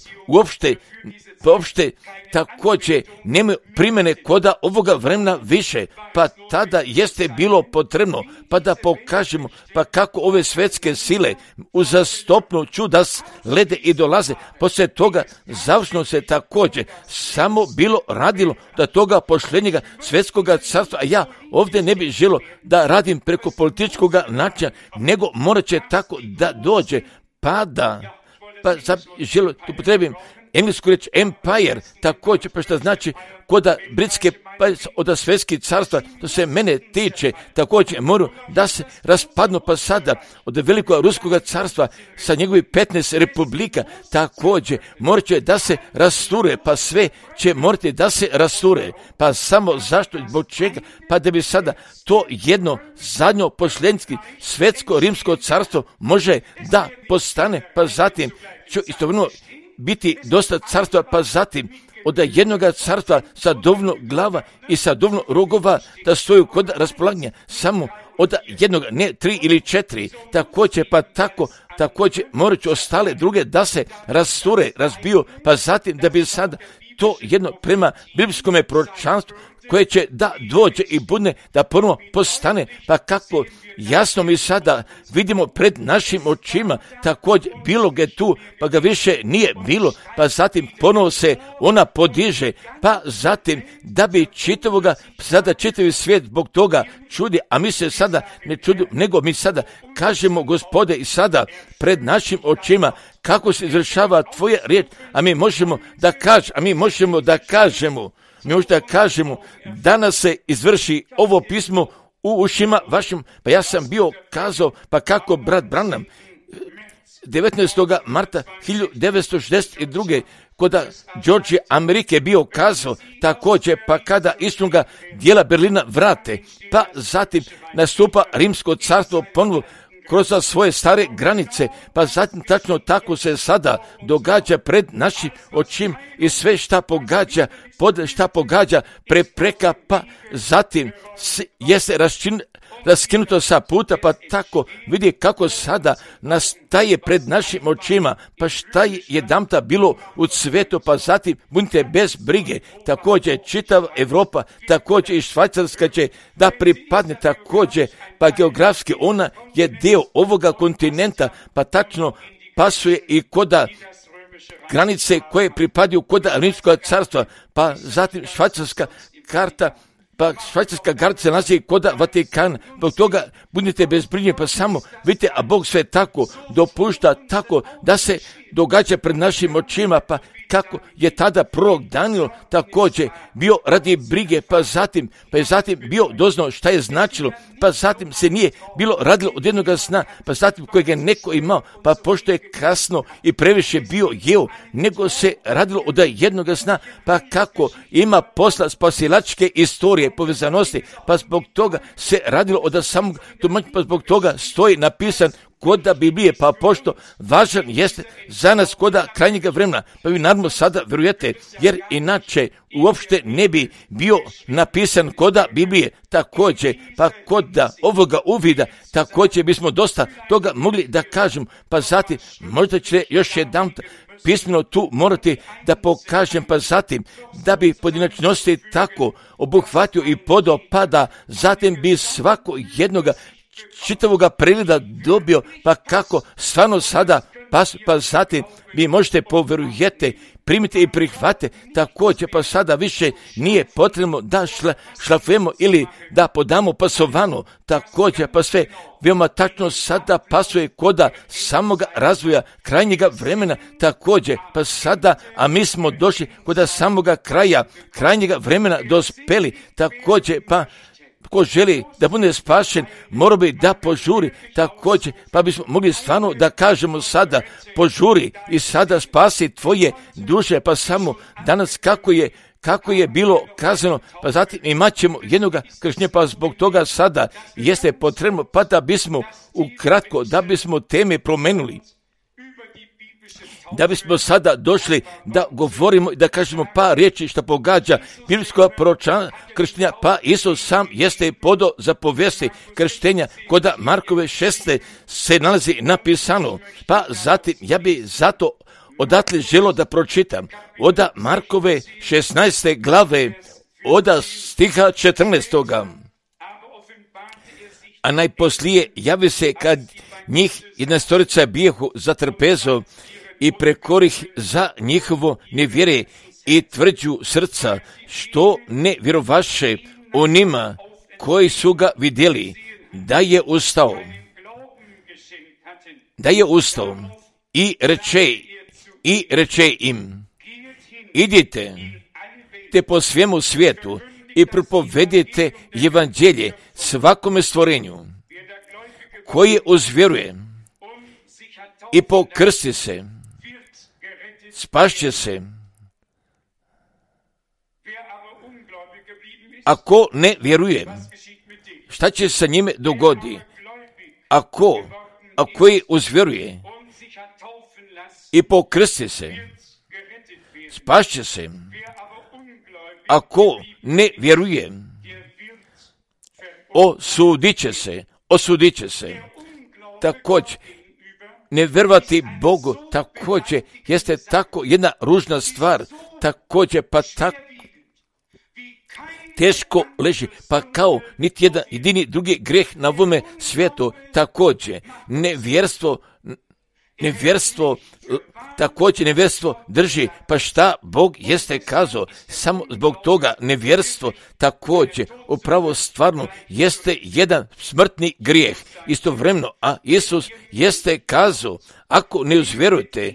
uopšte također nemaju primjene koda ovoga vremena više, pa tada jeste bilo potrebno, pa da pokažemo, pa kako ove svjetske sile uzastopno čuda slede i dolaze, poslije toga završno se također samo bilo radilo da toga pošljenjega svjetskoga carstva, a ja ovdje ne bih želio da radim preko političkog načina, nego morat će tako da dođe, pa sad želio, tu potrebim englesku riječ empire, također, pa što znači koda britske od svjetskih carstva, to se mene tiče, također moraju da se raspadnu, pa sada od velikog ruskog carstva sa njegovih 15 republika, također morat će da se rasture, pa sve će morati da se rasture, pa samo zašto, zbog čega, pa da bi sada to jedno zadnjo posljednjski svjetsko rimsko carstvo može da postane, pa zatim će istovremeno biti dosta carstva, pa zatim od jednoga carstva sa dovoljno glava i sa dovoljno rogova da stoju kod raspolaganja samo od jednog, ne 3 ili 4, također pa također morat će ostale druge da se rasture, razbiju, pa zatim da bi sada to jedno prema biblijskom proročanstvu koje će da dođe i budne da ponovo postane, pa kako jasno mi sada vidimo pred našim očima, također bilo ga tu, pa ga više nije bilo, pa zatim ponovo se ona podiže, pa zatim da bi sada čitavi svijet zbog toga čudi, a mi se sada ne čudimo, nego mi sada kažemo, Gospode, i sada pred našim očima kako se izvršava tvoja riječ, a mi možemo da kažemo, danas se izvrši ovo pismo u ušima vašim, pa ja sam bio kazao, pa kako brat Branham 19. marta 1962. koda Georgije Amerike bio kazao, također pa kada istoga dijela Berlina vrate, pa zatim nastupa Rimsko carstvo ponovo kroz svoje stare granice, pa zatim tačno tako se sada događa pred našim očima i sve šta pogađa prepreka, pa zatim jeste raskinuto sa puta, pa tako vidi kako sada nastaje pred našim očima, pa šta je jedanputa bilo u cvetu, pa zatim budite bez brige, također čitava Europa, također i Švajcarska će da pripadne, također pa geografski ona je dio ovoga kontinenta, pa tačno pasuje i koda granice koje pripadaju koda Rimskog carstva, pa zatim švajcarska karta, pa švajcarska granica se nalazi koda Vatikana, zbog toga budite bez brige, pa samo vidite, a Bog sve tako dopušta, tako da se događa pred našim očima, pa kako je tada prorok Danijel također bio radi brige, pa je zatim bio doznao šta je značilo, pa zatim se nije bilo radilo od jednoga sna, pa zatim kojeg je neko imao, pa pošto je kasno i previše bio jeo, nego se radilo od jednoga sna, pa kako ima posla spasilačke istorije, povezanosti, pa zbog toga se radilo od samog tumačenja, pa zbog toga stoji napisan koda Biblije, pa pošto važan jeste za nas koda krajnjega vremena, pa vi naravno sada vjerujete, jer inače uopšte ne bi bio napisan koda Biblije, također, pa koda ovoga uvida, također bismo dosta toga mogli da kažem, pa zatim možda će još jedan pismeno tu morati da pokažem, pa zatim da bi pojedinačnosti tako obuhvatio i podopada, zatim bi svako jednoga čitavoga pregleda dobio, pa kako stvarno sada, pa zatim vi možete povjerujete, primite i prihvate, također pa sada više nije potrebno da šlafujemo ili da podamo pasovano, također pa sve veoma tačno sada pasuje koda samoga razvoja krajnjega vremena, također pa sada, a mi smo došli koda samoga krajnjega vremena dospeli, također pa ko želi da bude spašen, mora bi da požuri, također, pa bismo mogli stvarno da kažemo sada, požuri i sada spasi tvoje duše, pa samo danas kako je bilo kazano, pa zatim imat ćemo jednoga kršnja, pa zbog toga sada jeste potrebno, pa da bismo ukratko, da bismo teme promenuli. da bismo sada došli da govorimo i da kažemo par riječi što pogađa biblijsko proročanstvo krštenja, pa Isus sam jeste podao zapovesti krštenja kod Markove 6. se nalazi napisano, pa zatim ja bi zato odatle želo da pročitam od Markove 16. glave od stiha 14. A najposlije javi se kad njih 11 bijehu za trpezo i prekorih za njihovo nevjere i tvrđu srca, što ne vjerovaše onima koji su ga vidjeli, da je ustao i reče im, idite te po svemu svijetu i propovedite evanđelje svakome stvorenju, koji uzvjeruje i pokrsti se, spašće se. Ako ne vjeruje, šta će sa njime dogodi? Ako je uzvjeruje i pokrsti se, spašće se. Ako ne vjeruje, osudit će se. Također, ne vjerovati Bogu također jeste tako jedna ružna stvar, također pa tako teško leži, pa kao niti jedan jedini drugi greh na ovome svijetu, također nevjerstvo drži, pa šta Bog jeste kazao, samo zbog toga nevjerstvo također upravo stvarno jeste jedan smrtni grijeh istovremeno, a Isus jeste kazao, ako ne uzvjerujete,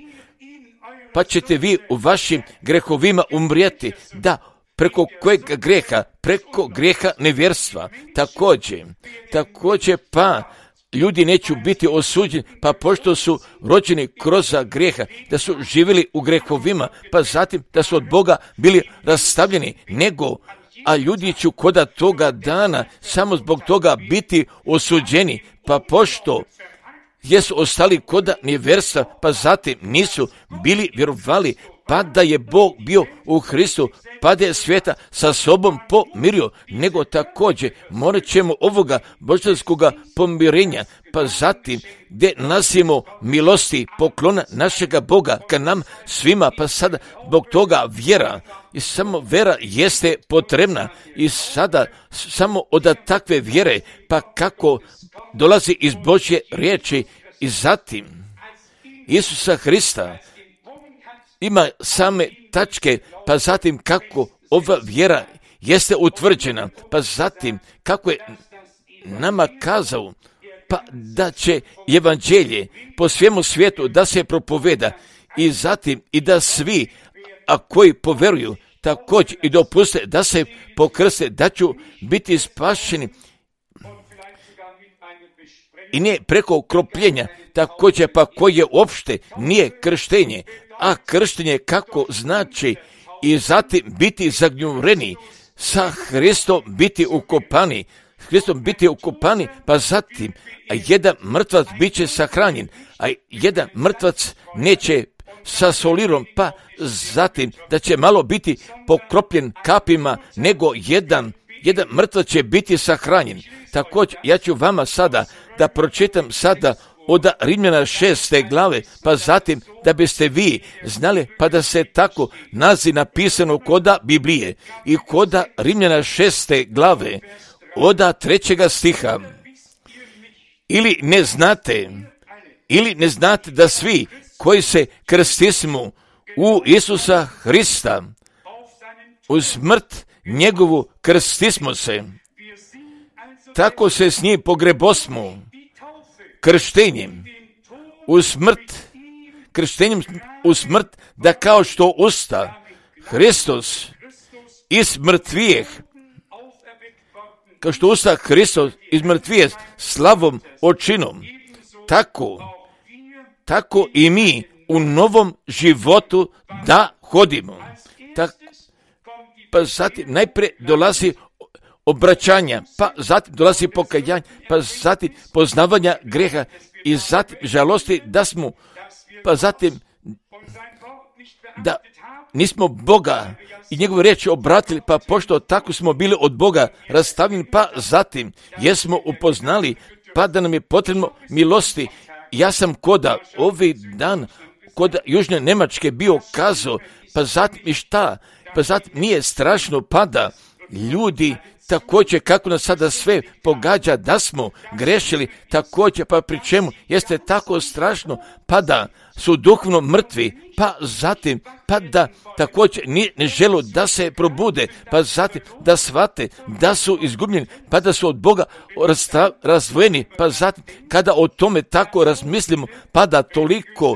pa ćete vi u vašim grehovima umrijeti, da preko kojeg greha? Preko greha nevjerstva. Također pa ljudi neće biti osuđeni, pa pošto su rođeni kroz greha, da su živjeli u grehovima, pa zatim da su od Boga bili rastavljeni, a ljudi će koda toga dana samo zbog toga biti osuđeni, pa pošto jesu ostali koda nevjerstva, pa zatim nisu bili vjerovali, pa da je Bog bio u Hristu, pa da je svijeta sa sobom pomirio, nego također morat ćemo ovoga božanskoga pomirenja, pa zatim gdje nasimo milosti poklona našega Boga ka nam svima, pa sada zbog toga vjera, i samo vjera jeste potrebna, i sada samo od takve vjere, pa kako dolazi iz Božje riječi, i zatim Isusa Hrista ima same tačke, pa zatim kako ova vjera jeste utvrđena, pa zatim kako je nama kazao, pa da će evanđelje po svemu svijetu da se propoveda, i zatim i da svi, a koji poveruju, također i dopuste da se pokrste, da će biti spašeni, i ne preko kropljenja, također pa koje uopšte nije krštenje, a krštenje kako znači i zatim biti zagnjureni, sa Hristom biti ukopani, pa zatim jedan mrtvac bit će sahranjen, a jedan mrtvac neće sa solirom, pa zatim da će malo biti pokropljen kapima, nego jedan mrtvac će biti sahranjen. Također, ja ću vama sada da pročitam sada od Rimljana 6. glave, pa zatim da biste vi znali, pa da se tako nazi napisano koda Biblije i koda Rimljana 6. glave od 3. stiha. Ili ne znate da svi koji se krstismo u Isusa Hrista, u smrt njegovu krstismo se, tako se s njim pogrebosmo krštenjem u smrt, da kao što usta Hristos iz mrtvijeh, kao što usta Hristos iz mrtvijeh slavom očinom, tako i mi u novom životu da hodimo. Pa zatim najprije dolazi obraćanja, pa zatim dolazi pokajanje, pa zatim poznavanja greha, i zatim žalosti da smo, pa zatim da nismo Boga i njegovu riječ obratili, pa pošto tako smo bili od Boga rastavljeni, pa zatim jesmo upoznali, pa da nam je potrebno milosti. Ja sam koda ovaj dan kod Južne Njemačke bio kazao, pa zatim i šta? Pa zatim nije strašno pada ljudi također kako nas sada sve pogađa da smo grešili također, pa pri čemu jeste tako strašno pa da su duhovno mrtvi, pa zatim pa da također ne žele da se probude, pa zatim da shvate da su izgubljeni, pa da su od Boga razdvojeni, pa zatim kada o tome tako razmislimo, pa da toliko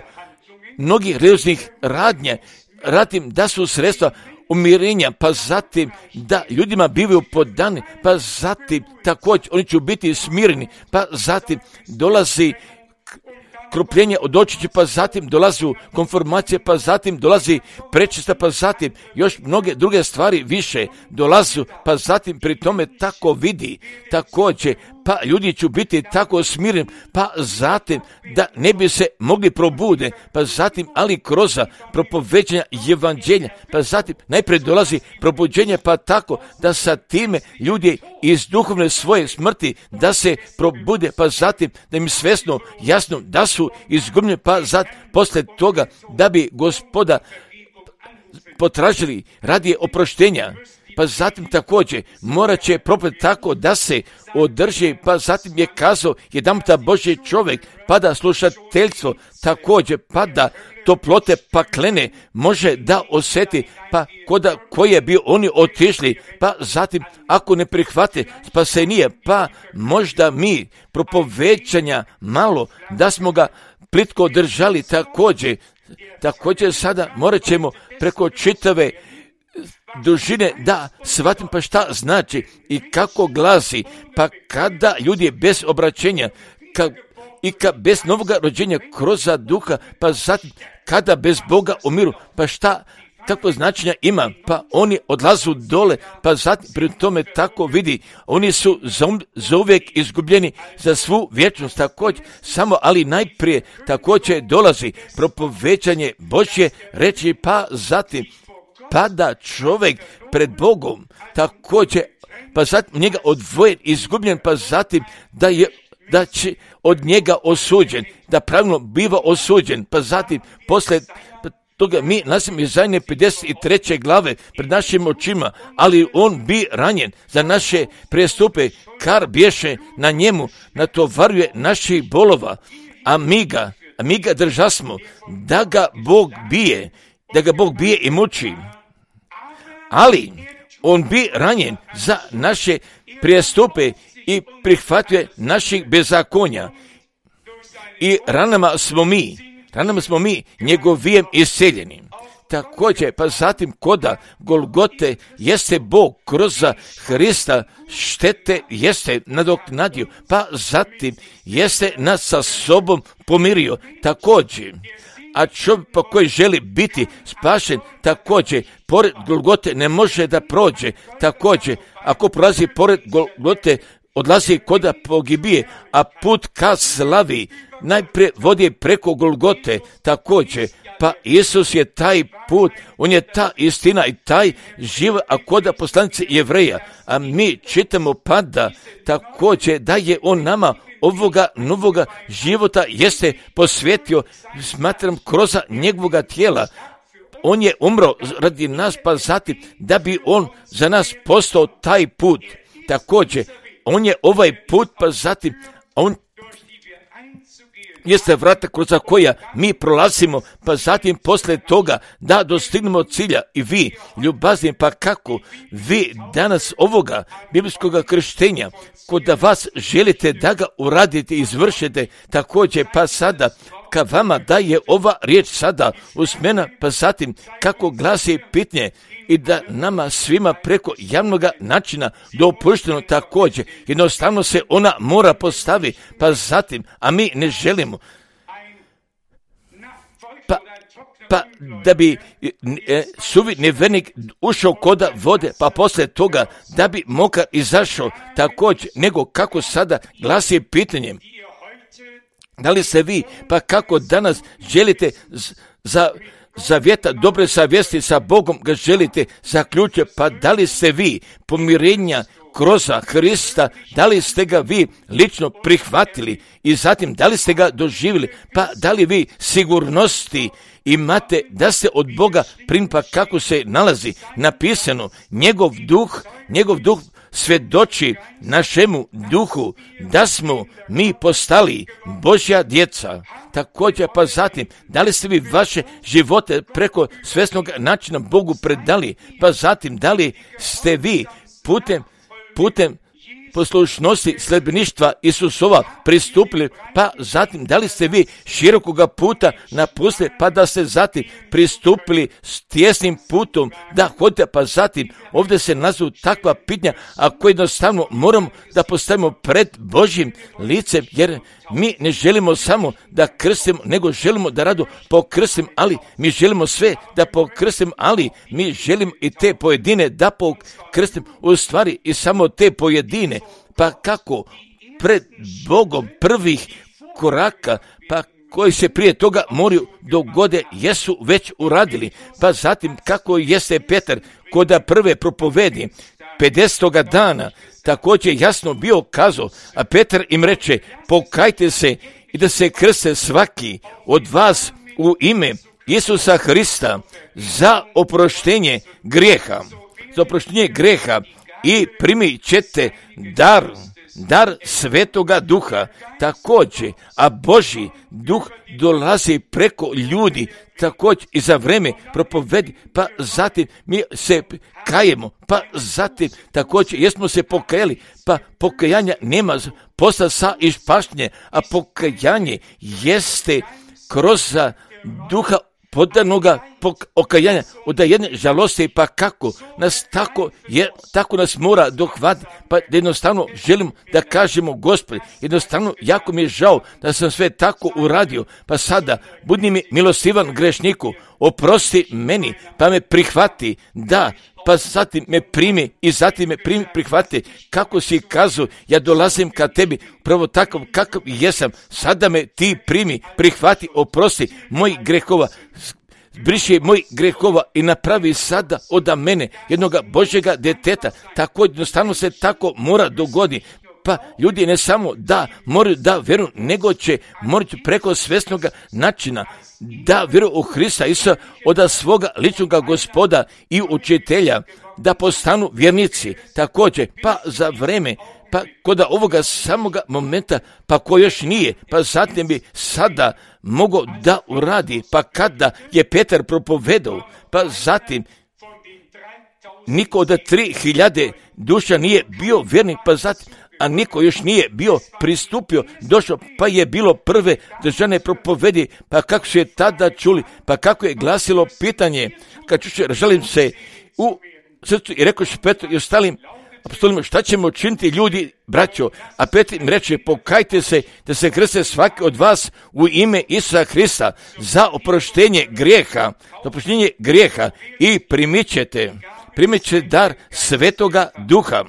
mnogih religioznih radnje radim da su sredstva umirenja, pa zatim da ljudima bivaju podani, pa zatim također oni će biti smireni, pa zatim dolazi krupljenje od očića, pa zatim dolazi konformacije, pa zatim dolazi prečista, pa zatim još mnoge druge stvari više dolaze, pa zatim pri tome tako vidi također, pa ljudi će biti tako smireni, pa zatim da ne bi se mogli probude, pa zatim ali kroz propoveđenja evanđelja, pa zatim najprije dolazi probuđenje, pa tako da sa time ljudi iz duhovne svoje smrti da se probude, pa zatim da im svjesno jasno da su izgubljeni, pa zatim poslije toga da bi Gospoda potražili radi oproštenja, pa zatim također morat će propet tako da se održi, pa zatim je kazao jedanputa Božji čovjek, pa da slušateljstvo također, pa da toplote paklene može da osjeti, pa koda koje bi oni otišli, pa zatim ako ne prihvate spasenije, pa možda mi propovećanja malo da smo ga plitko držali također sada morat ćemo preko čitave dužine da shvatim pa šta znači i kako glasi, pa kada ljudi bez obraćenja i bez novoga rođenja kroz duha, pa zatim kada bez Boga umiru, pa šta tako značenja ima, pa oni odlazu dole, pa zatim pri tome tako vidi, oni su za uvijek izgubljeni za svu vječnost također, samo ali najprije također dolazi propovećanje Božje reći, pa zatim pada čovjek pred Bogom također, pa zatim njega odvojen, izgubljen, pa zatim da će od njega osuđen, da pravilno biva osuđen, pa zatim poslije toga mi nalazimo Izaije 53. glave pred našim očima, ali on bi ranjen za naše prijestupe, kar bješe na njemu, natovaruje naših bolova, a mi ga držasmo, da ga Bog bije i muči. Ali on bi ranjen za naše prijestupe i prihvatuje naših bezakonja. I ranama smo mi njegovijem isceljeni. Također, pa zatim koda Golgote jeste Bog kroz Hrista štete jeste nadoknadio, pa zatim jeste nas sa sobom pomirio također. A čovjek po koji želi biti spašen također pored Golgote ne može da prođe također. Ako prolazi pored Golgote odlazi koda pogibije, a put ka slavi najprije vodi preko Golgote također. Pa Isus je taj put, on je ta istina i taj život, a koda poslanice Jevreja, a mi čitamo pa da također da je on nama ovoga novoga života jeste posvetio, smatram, kroz njegovoga tijela. On je umro radi nas, pa zatim da bi on za nas postao taj put. Također, on je ovaj put, pa zatim on jeste vrata kroz koja mi prolazimo, pa zatim poslije toga da dostignemo cilja. I vi, ljubazni, pa kako vi danas ovoga biblijskog krštenja, kod da vas želite da ga uradite, izvršite, također pa sada ka vama da je ova riječ sada usmena, pa zatim kako glasi pitanje i da nama svima preko javnog načina dopušteno također, jednostavno se ona mora postaviti, pa zatim, a mi ne želimo, pa da bi suvi nevernik ušao koda vode, pa poslije toga da bi mokar izašao također, nego kako sada glasi pitanje. Da li se vi, pa kako danas želite zavjeta dobre savjesti sa Bogom ga želite zaključiti, pa da li ste vi pomirenja kroz Hrista, da li ste ga vi lično prihvatili i zatim da li ste ga doživjeli, pa da li vi sigurnosti imate da ste od Boga primili, pa kako se nalazi napisano, njegov duh svjedoči našemu duhu da smo mi postali Božja djeca. Također pa zatim, da li ste vi vaše živote preko svjesnog načina Bogu predali, pa zatim da li ste vi putem poslušnosti sljedbeništva Isusova pristupili, pa zatim da li ste vi širokoga puta napustili, pa da ste zatim pristupili s tjesnim putom da hodite, pa zatim ovdje se nazvu takva pitanja, a koje jednostavno moramo da postavimo pred Božjim licem, jer mi ne želimo samo da krstimo, nego želimo da rado pokrstimo, ali mi želimo sve da pokrstimo, ali mi želimo i te pojedine da pokrstimo, u stvari i samo te pojedine. Pa kako pred Bogom prvih koraka, pa koji se prije toga moraju dogode, jesu već uradili. Pa zatim kako jeste Petar koda prve propovedi 50. dana također jasno bio kazao, a Petar im reče, pokajte se i da se krste svaki od vas u ime Isusa Hrista za oproštenje grijeha i primit ćete dar Svetoga Duha također, a Božji Duh dolazi preko ljudi također i za vrijeme propovedi, pa zatim mi se kajemo, pa zatim također jesmo se pokajali, pa pokajanja nema posla sa ispašnje, a pokajanje jeste kroz Duha podanoga okajanja od jedne žalosti, pa kako nas tako nas mora dohvatiti, pa jednostavno želimo da kažemo Gospodi, jednostavno jako mi je žao da sam sve tako uradio, pa sada budi mi milostivan grešniku, oprosti meni, pa me prihvati, da, pa zatim me primi i zatim me prihvati, kako si kazao, ja dolazim ka tebi, pravo takav kakav jesam, sada me ti primi, prihvati, oprosti moj grehova, briši moj grehova i napravi sada od mene jednoga Božjega djeteta. Tako jednostavno se tako mora dogoditi. Pa ljudi ne samo da moraju da vjeruju, nego će morati preko svjesnog načina da vjeruju u Hrista Isusa od svoga ličnog Gospoda i učitelja, da postanu vjernici. Također, pa za vrijeme, pa kod ovoga samoga momenta, pa ko još nije, pa zatim bi sada mogao da uradi, pa kada je Petar propovedao, pa zatim niko od 3000 duša nije bio vjernik, pa zatim, a niko još nije bio pristupio, došao, pa je bilo prve državne propovedi, pa kako su je tada čuli, pa kako je glasilo pitanje, kad želim se u srcu i rekao što Petru i ostalim apostolima, šta ćemo činiti ljudi, braćo? A Petar im reče, pokajte se da se krste svaki od vas u ime Isusa Hrista za oproštenje grijeha i primit ćete dar Svetoga Duha.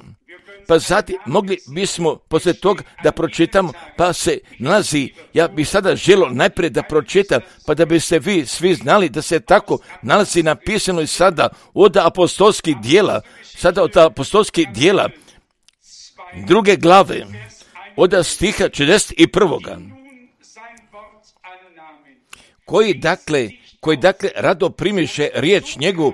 Pa zatim mogli bismo poslije toga da pročitamo, pa se nalazi, ja bih sada želio najprije da pročitam, pa da biste vi svi znali da se tako nalazi napisano i sada od apostolskih dijela, druge glave, od stiha 41. Koji dakle rado primiše riječ njegovu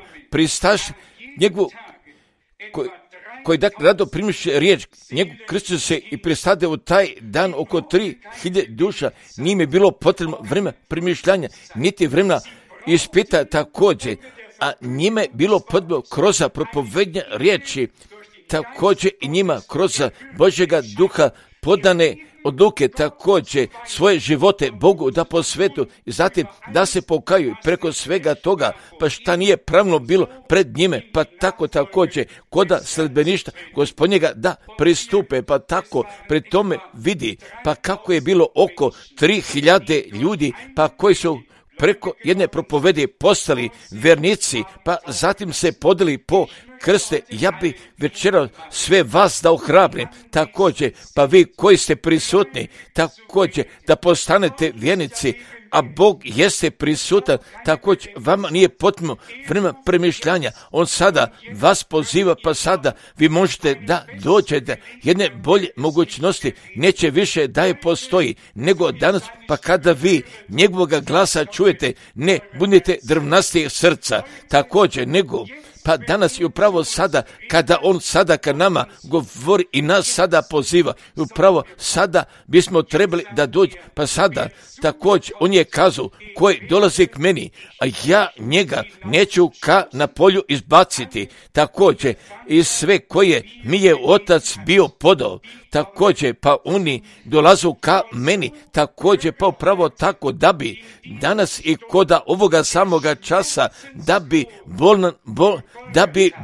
koji dakle rado primiše riječ njegov, krstio se i pristade u taj dan oko 3000 duša, nije mi bilo potrebno vremena primišljanja, niti vremena ispita također, a njima je bilo potrebno kroz propovednje riječi, također i njima kroz Božjega Duha podane odluke, također svoje živote Bogu da posvetu i zatim da se pokaju preko svega toga, pa šta nije pravno bilo pred njime, pa tako također koda sledbeništa Gospodnjega da pristupe, pa tako pred tome vidi, pa kako je bilo oko 3000 ljudi, pa koji su preko jedne propovedi postali vjernici, pa zatim se podeli po krste. Ja bi večera sve vas da ohrabrim, također, pa vi koji ste prisutni, također da postanete vjernici, a Bog jeste prisutan, također vama nije potrebno vremena premišljanja. On sada vas poziva, pa sada vi možete da dođete jedne bolje mogućnosti, neće više da je postoji, nego danas, pa kada vi njegovoga glasa čujete, ne budete drvnastih srca, također, nego pa danas i upravo sada, kada on sada ka nama govori i nas sada poziva, i upravo sada bismo trebali da dođe, pa sada također on je kazao, koji dolazi k meni, a ja njega neću ka na polju izbaciti, također i sve koje mi je otac bio podao, također pa oni dolazu ka meni, također pa upravo tako da bi danas i koda ovoga samoga časa, da bi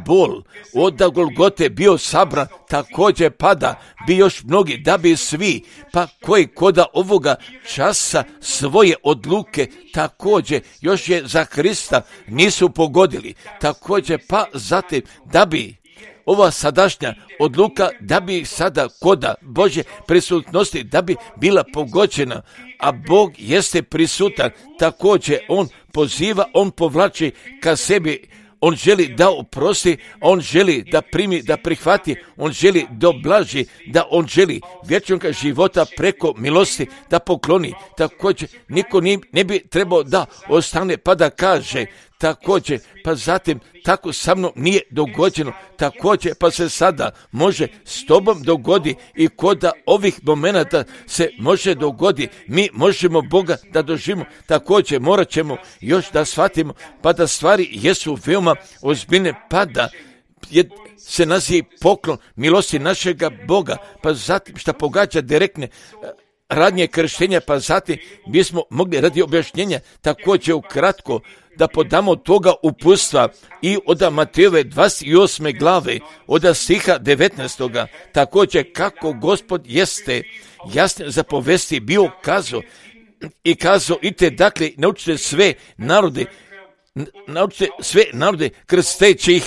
bol od Golgote bio sabran, također pada bi još mnogi, da bi svi, pa koji koda ovoga časa svoje odluke također još je za Krista nisu pogodili, također pa zatim da bi ova sadašnja odluka, da bi sada koda Božje prisutnosti, da bi bila pogođena, a Bog jeste prisutan, također on poziva, on povlači ka sebi, on želi da oprosti, on želi da primi, da prihvati, on želi da oblaži, da on želi vječnog života preko milosti da pokloni. Također niko ne bi trebao da ostane pa da kaže, također pa zatim tako sa mnom nije dogođeno, također pa se sada može s tobom dogodi i koda ovih momenata se može dogodi, mi možemo Boga da doživimo, također morat ćemo još da shvatimo pa da stvari jesu veoma ozbiljne, pa da se nazivi poklon milosti našega Boga, pa zatim šta pogađa direktne radnje krštenja, pa zatim bismo mogli radi objašnjenja također ukratko da podamo toga uputstva i od Matejove 28. glave, od stiha 19. također kako Gospod jeste jasne zapovesti bio kazao i kazao, idite dakle naučite sve narode krsteći ih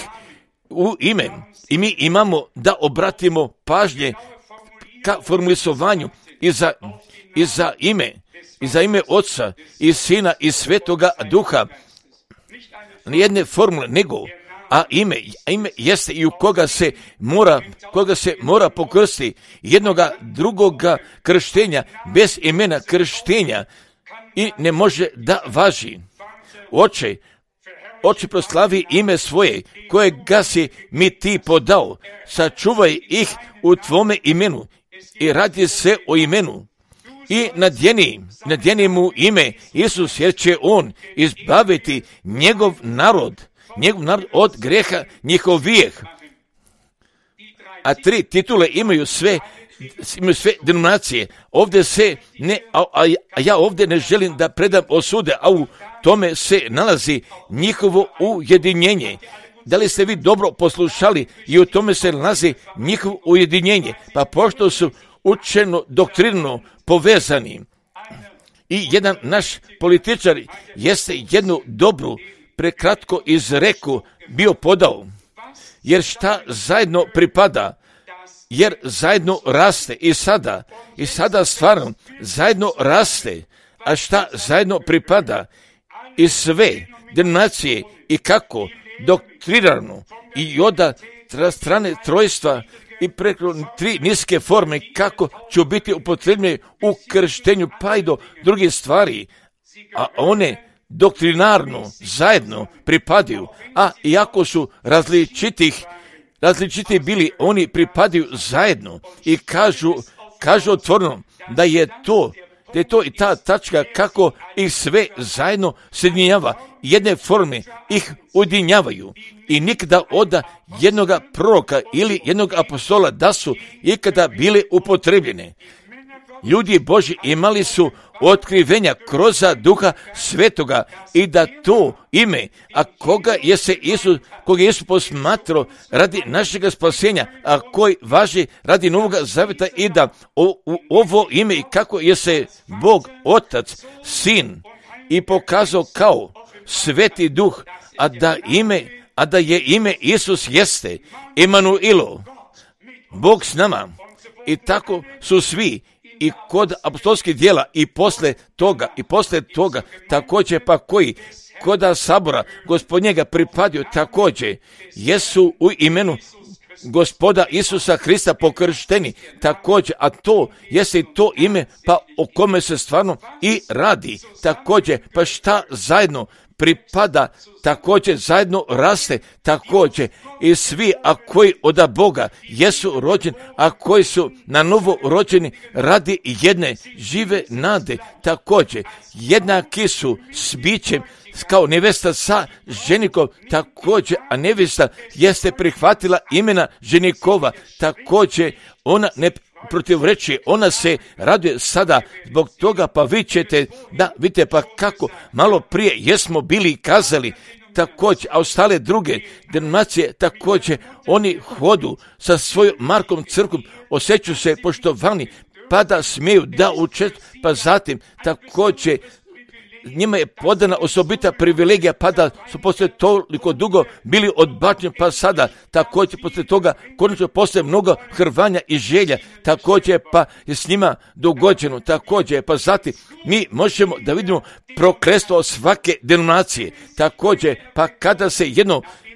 u ime, i mi imamo da obratimo pažnje ka formulisovanju i za ime Otca i Sina i Svetoga Duha, nijedne formule, nego a ime jeste i u koga se mora pokrstiti, jednoga drugoga krštenja bez imena krštenja i ne može da važi. Oče, proslavi ime svoje, kojega si mi ti podao, sačuvaj ih u tvome imenu i radi se o imenu. I nadjeni mu ime Isus, jer će on izbaviti njegov narod od greha njihovijeh. A 3 titule imaju sve denominacije. Ovdje se ja ovdje ne želim da predam osude, a u tome se nalazi njihovo ujedinjenje. Da li ste vi dobro poslušali? I u tome se nalazi njihovo ujedinjenje. Pa pošto su učeno doktrinno povezani, i jedan naš političar jeste jednu dobru prekratko izreku bio podao, jer šta zajedno pripada, jer zajedno raste i sada stvarno zajedno raste, a šta zajedno pripada i sve denominacije i kako doktrinarno i od strane trojstva i preko 3 niske forme kako će biti upotrebljene u krštenju pa i do drugih stvari, a one doktrinarno zajedno pripadaju, a iako su različiti bili, oni pripadaju zajedno i kažu otvoreno da je to i ta tačka kako ih sve zajedno sjedinjava, jedne forme ih ujedinjavaju i nikada od jednoga proroka ili jednog apostola da su ikada bile upotrebljene. Ljudi Božji imali su otkrivenja kroz Duha Svetoga i da to ime, a koga je Isus posmatrao radi našega spasenja, a koji važi radi Novoga Zaveta, i da ovo ime i kako je se Bog Otac, Sin i pokazao kao Sveti Duh, a da je ime Isus jeste Emanuilo, Bog s nama. I tako su svi i kod apostolskih djela i posle toga, također pa koji koda sabora Gospodnjega pripadio također, jesu u imenu Gospoda Isusa Hrista pokršteni također, a to jeste i to ime pa o kome se stvarno i radi također, pa šta zajedno pripada, također zajedno raste također i svi, a koji od Boga jesu rođeni, a koji su na novo rođeni radi jedne žive nade također, jednaki su s bićem kao nevesta sa ženikom također, a nevesta jeste prihvatila imena ženikova također, ona ne protivrečuje, ona se raduje sada zbog toga, pa vi ćete da vidite pa kako malo prije jesmo bili kazali također, a ostale druge denominacije također, oni hodu sa svojom Markom crkvom, osjećaju se poštovani, pa da smiju da učestvuju, pa zatim također njima je podana osobita privilegija, pa da su poslije toliko dugo bili odbačeni, pa sada također poslije toga konačno poslije mnogo hrvanja i želja, također pa je s njima dogođeno, također pa zatim mi možemo da vidimo prokletstvo svake denominacije, također pa kada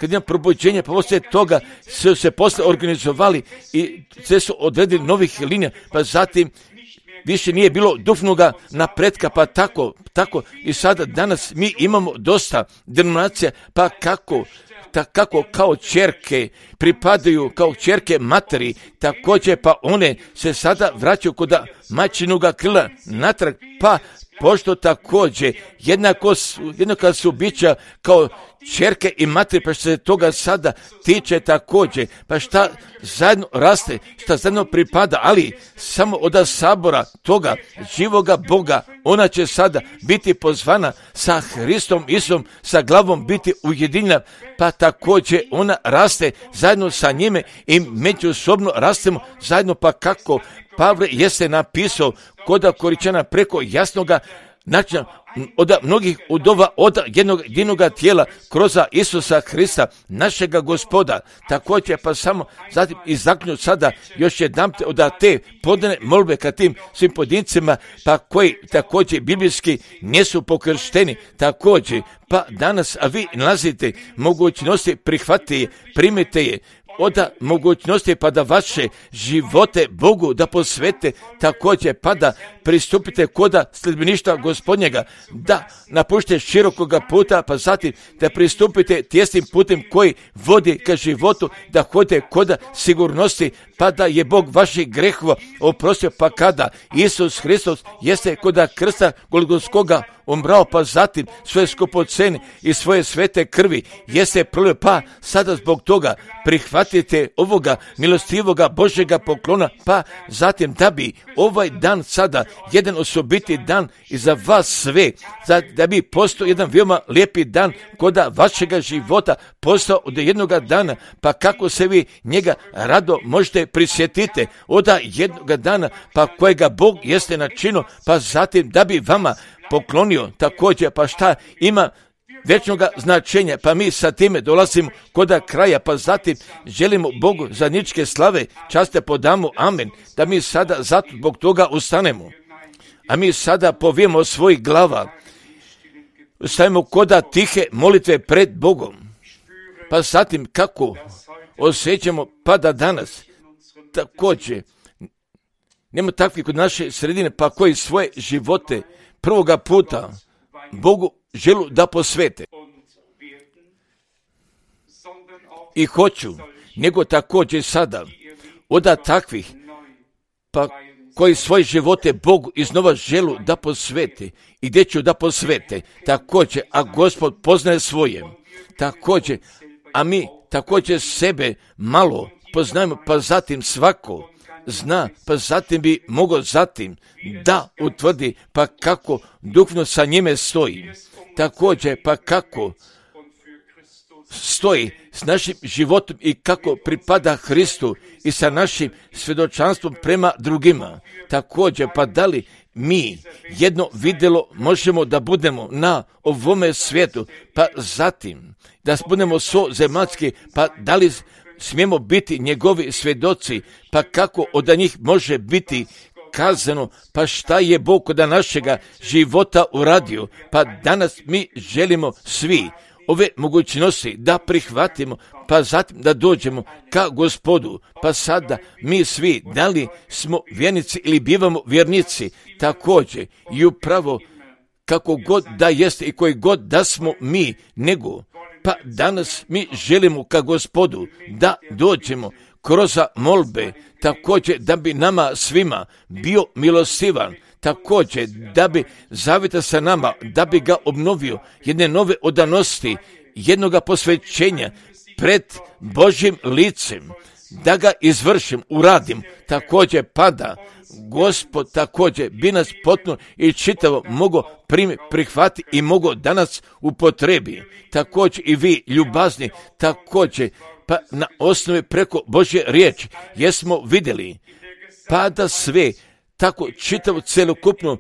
ima probuđenje, pa poslije toga su se poslije organizovali i sve su odredili novih linija, pa zatim više nije bilo duhovnoga napretka, pa tako i sada danas mi imamo dosta denominacija, pa kako kao ćerke pripadaju kao ćerke materi, također pa one se sada vraćaju kod majčinoga krila natrag, pa pošto također jednako su bića kao ćerke i materi, pa što se toga sada tiče također, pa šta zajedno raste, šta zajedno pripada, ali samo od sabora toga živoga Boga, ona će sada biti pozvana sa Hristom Isusom, sa glavom biti ujedinjena, pa također ona raste zajedno sa njime i međusobno rastemo zajedno, pa kako Pavle jeste napisao kod Koričana preko jasnoga načina od mnogih udova, od jednoga tijela kroz Isusa Hrista, našega Gospoda. Također pa samo zatim izaknju sada još jedan od te podane molbe ka tim svim pojedincima, pa koji također biblijski nisu pokršteni, također pa danas, a vi nalazite mogućnosti, prihvatite je, primite je, od mogućnosti pa da vaše živote Bogu da posvete, također pa da pristupite koda sljedbeništva Gospodnjega, da napuštite širokoga puta, pa zatim da pristupite tjesnim putem koji vodi ka životu, da hodite koda sigurnosti, pa da je Bog vaših grehova oprostio, pa kada Isus Hristos jeste koda krsta Golgotskoga umrao, pa zatim svoje skupocene i svoje svete krvi jeste prolio, pa sada zbog toga prihvatite ovoga milostivoga Božjega poklona, pa zatim da bi ovaj dan sada jedan osobiti dan i za vas sve, da bi postao jedan veoma lijepi dan koda vašega života, postao od jednoga dana, pa kako se vi njega rado možete prisjetiti od jednoga dana, pa kojega Bog jeste načinio, pa zatim da bi vama poklonio također, pa šta ima večnoga značenja, pa mi sa time dolazimo koda kraja, pa zatim želimo Bogu zajedničke slave, časte podamo, amen, da mi sada zato zbog toga ustanemo, a mi sada povijemo svojih glava, stavimo koda tihe molitve pred Bogom, pa zatim kako osjećamo pa da danas također nema takvi kod naše sredine, pa koji svoje živote prvoga puta Bogu želu da posvete. I hoću, nego također sada, od takvih, pa koji svoje živote Bogu iznova želu da posvete i gdje ću da posvete, također, a Gospod poznaje svoje, također, a mi također sebe malo poznajemo, pa zatim svako zna, pa zatim bi mogao zatim da utvrdi pa kako duhovno sa njime stoji. Također pa kako stoji s našim životom i kako pripada Hristu i sa našim svjedočanstvom prema drugima. Također pa da li mi jedno vidjelo možemo da budemo na ovome svijetu, pa zatim da budemo zemaljski, pa da li smijemo biti njegovi svjedoci, pa kako od njih može biti kazano, pa šta je Bog kod našega života uradio, pa danas mi želimo svi ove mogućnosti da prihvatimo, pa zatim da dođemo ka Gospodu, pa sada mi svi, da li smo vjernici ili bivamo vjernici, također i upravo kako god da jeste i koji god da smo mi, nego pa danas mi želimo ka Gospodu da dođemo kroz molbe, također da bi nama svima bio milostivan, također da bi zavita sa nama, da bi ga obnovio, jedne nove odanosti, jednoga posvećenja pred Božjim licem, da ga izvršim, uradim, također pada Gospod također bi nas potpuno i čitavo mogo prihvati i mogo danas upotrebi. Također i vi ljubazni, također pa na osnovi preko Božje riječi jesmo vidjeli pa da sve tako čitavo celokupno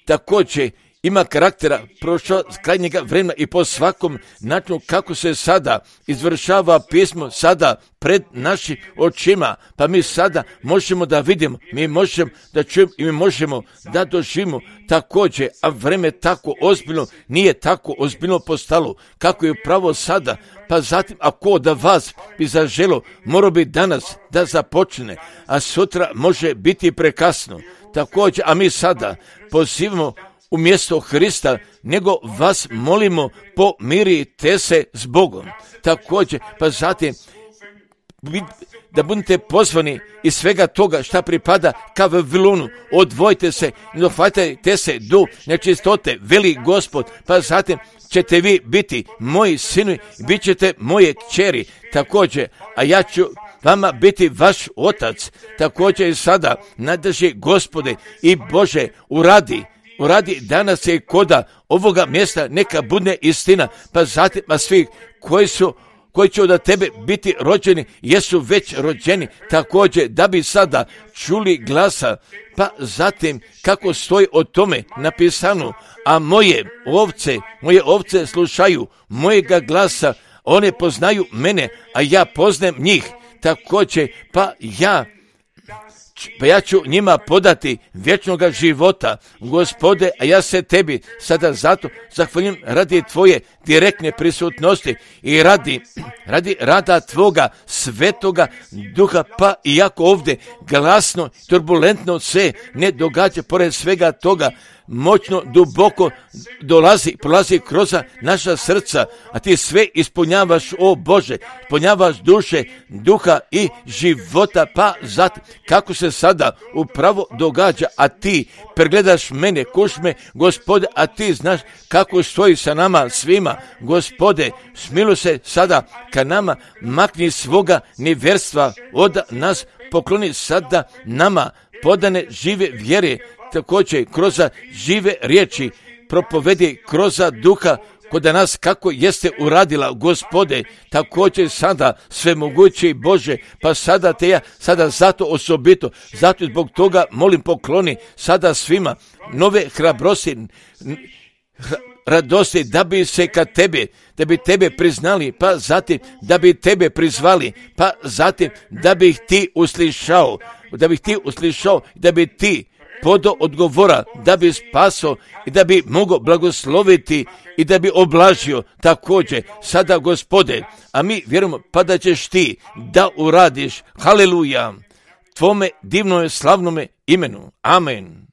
također ima karaktera prošlo krajnjega vremena i po svakom načinu kako se sada izvršava pismo sada pred našim očima, pa mi sada možemo da vidimo, mi možemo da čujemo i mi možemo da doživimo također, a vreme tako ozbiljno nije tako ozbiljno postalo kako je upravo sada, pa zatim ako da vas bi zaželo, morao bi danas da započne, a sutra može biti prekasno. Također, a mi sada pozivamo umjesto Hrista, nego vas molimo pomirite se s Bogom. Također, pa zatim da budete pozvani iz svega toga šta pripada ka Vavilonu, odvojite se, dohvatajte se do nečistote, veli Gospod, pa zatim ćete vi biti moji sinovi, bit ćete moje kćeri, također, a ja ću vama biti vaš otac, također i sada nadrži Gospode i Bože uradi danas je koda ovoga mjesta neka bude istina, pa zatim a svi koji će od tebe biti rođeni, jesu već rođeni, također da bi sada čuli glasa, pa zatim kako stoji o tome napisano, a moje ovce slušaju mojega glasa, one poznaju mene, a ja poznajem njih, također pa ja ću njima podati vječnoga života, Gospode, a ja se tebi sada zato zahvaljujem radi tvoje direktne prisutnosti i radi rada tvoga svetoga duha, pa iako ovdje glasno, turbulentno se ne događa pored svega toga, moćno, duboko prolazi kroz naša srca, a ti sve ispunjavaš, o Bože, ispunjavaš duše, duha i života, pa zatim kako se sada upravo događa, a ti pregledaš mene, kušme, Gospode, a ti znaš kako stoji sa nama svima, Gospode, smiluj se sada ka nama, makni svoga nevjerstva od nas, pokloni sada nama podane žive vjere, također kroz žive riječi propovedi kroz duha kod nas kako jeste uradila, Gospode, također sada svemogući Bože, pa sada te ja sada zato osobito, zato zbog toga molim pokloni sada svima nove hrabrosti, radosti da bi se kad tebe, da bi tebe priznali, pa zatim da bi tebe prizvali, pa zatim da bi ih ti uslišao, da bi ti podo odgovora, da bi spaso i da bi mogao blagosloviti i da bi oblažio također sada, Gospode, a mi vjerujemo pa da ćeš ti da uradiš, haleluja, tvome divnome slavnome imenu, amen.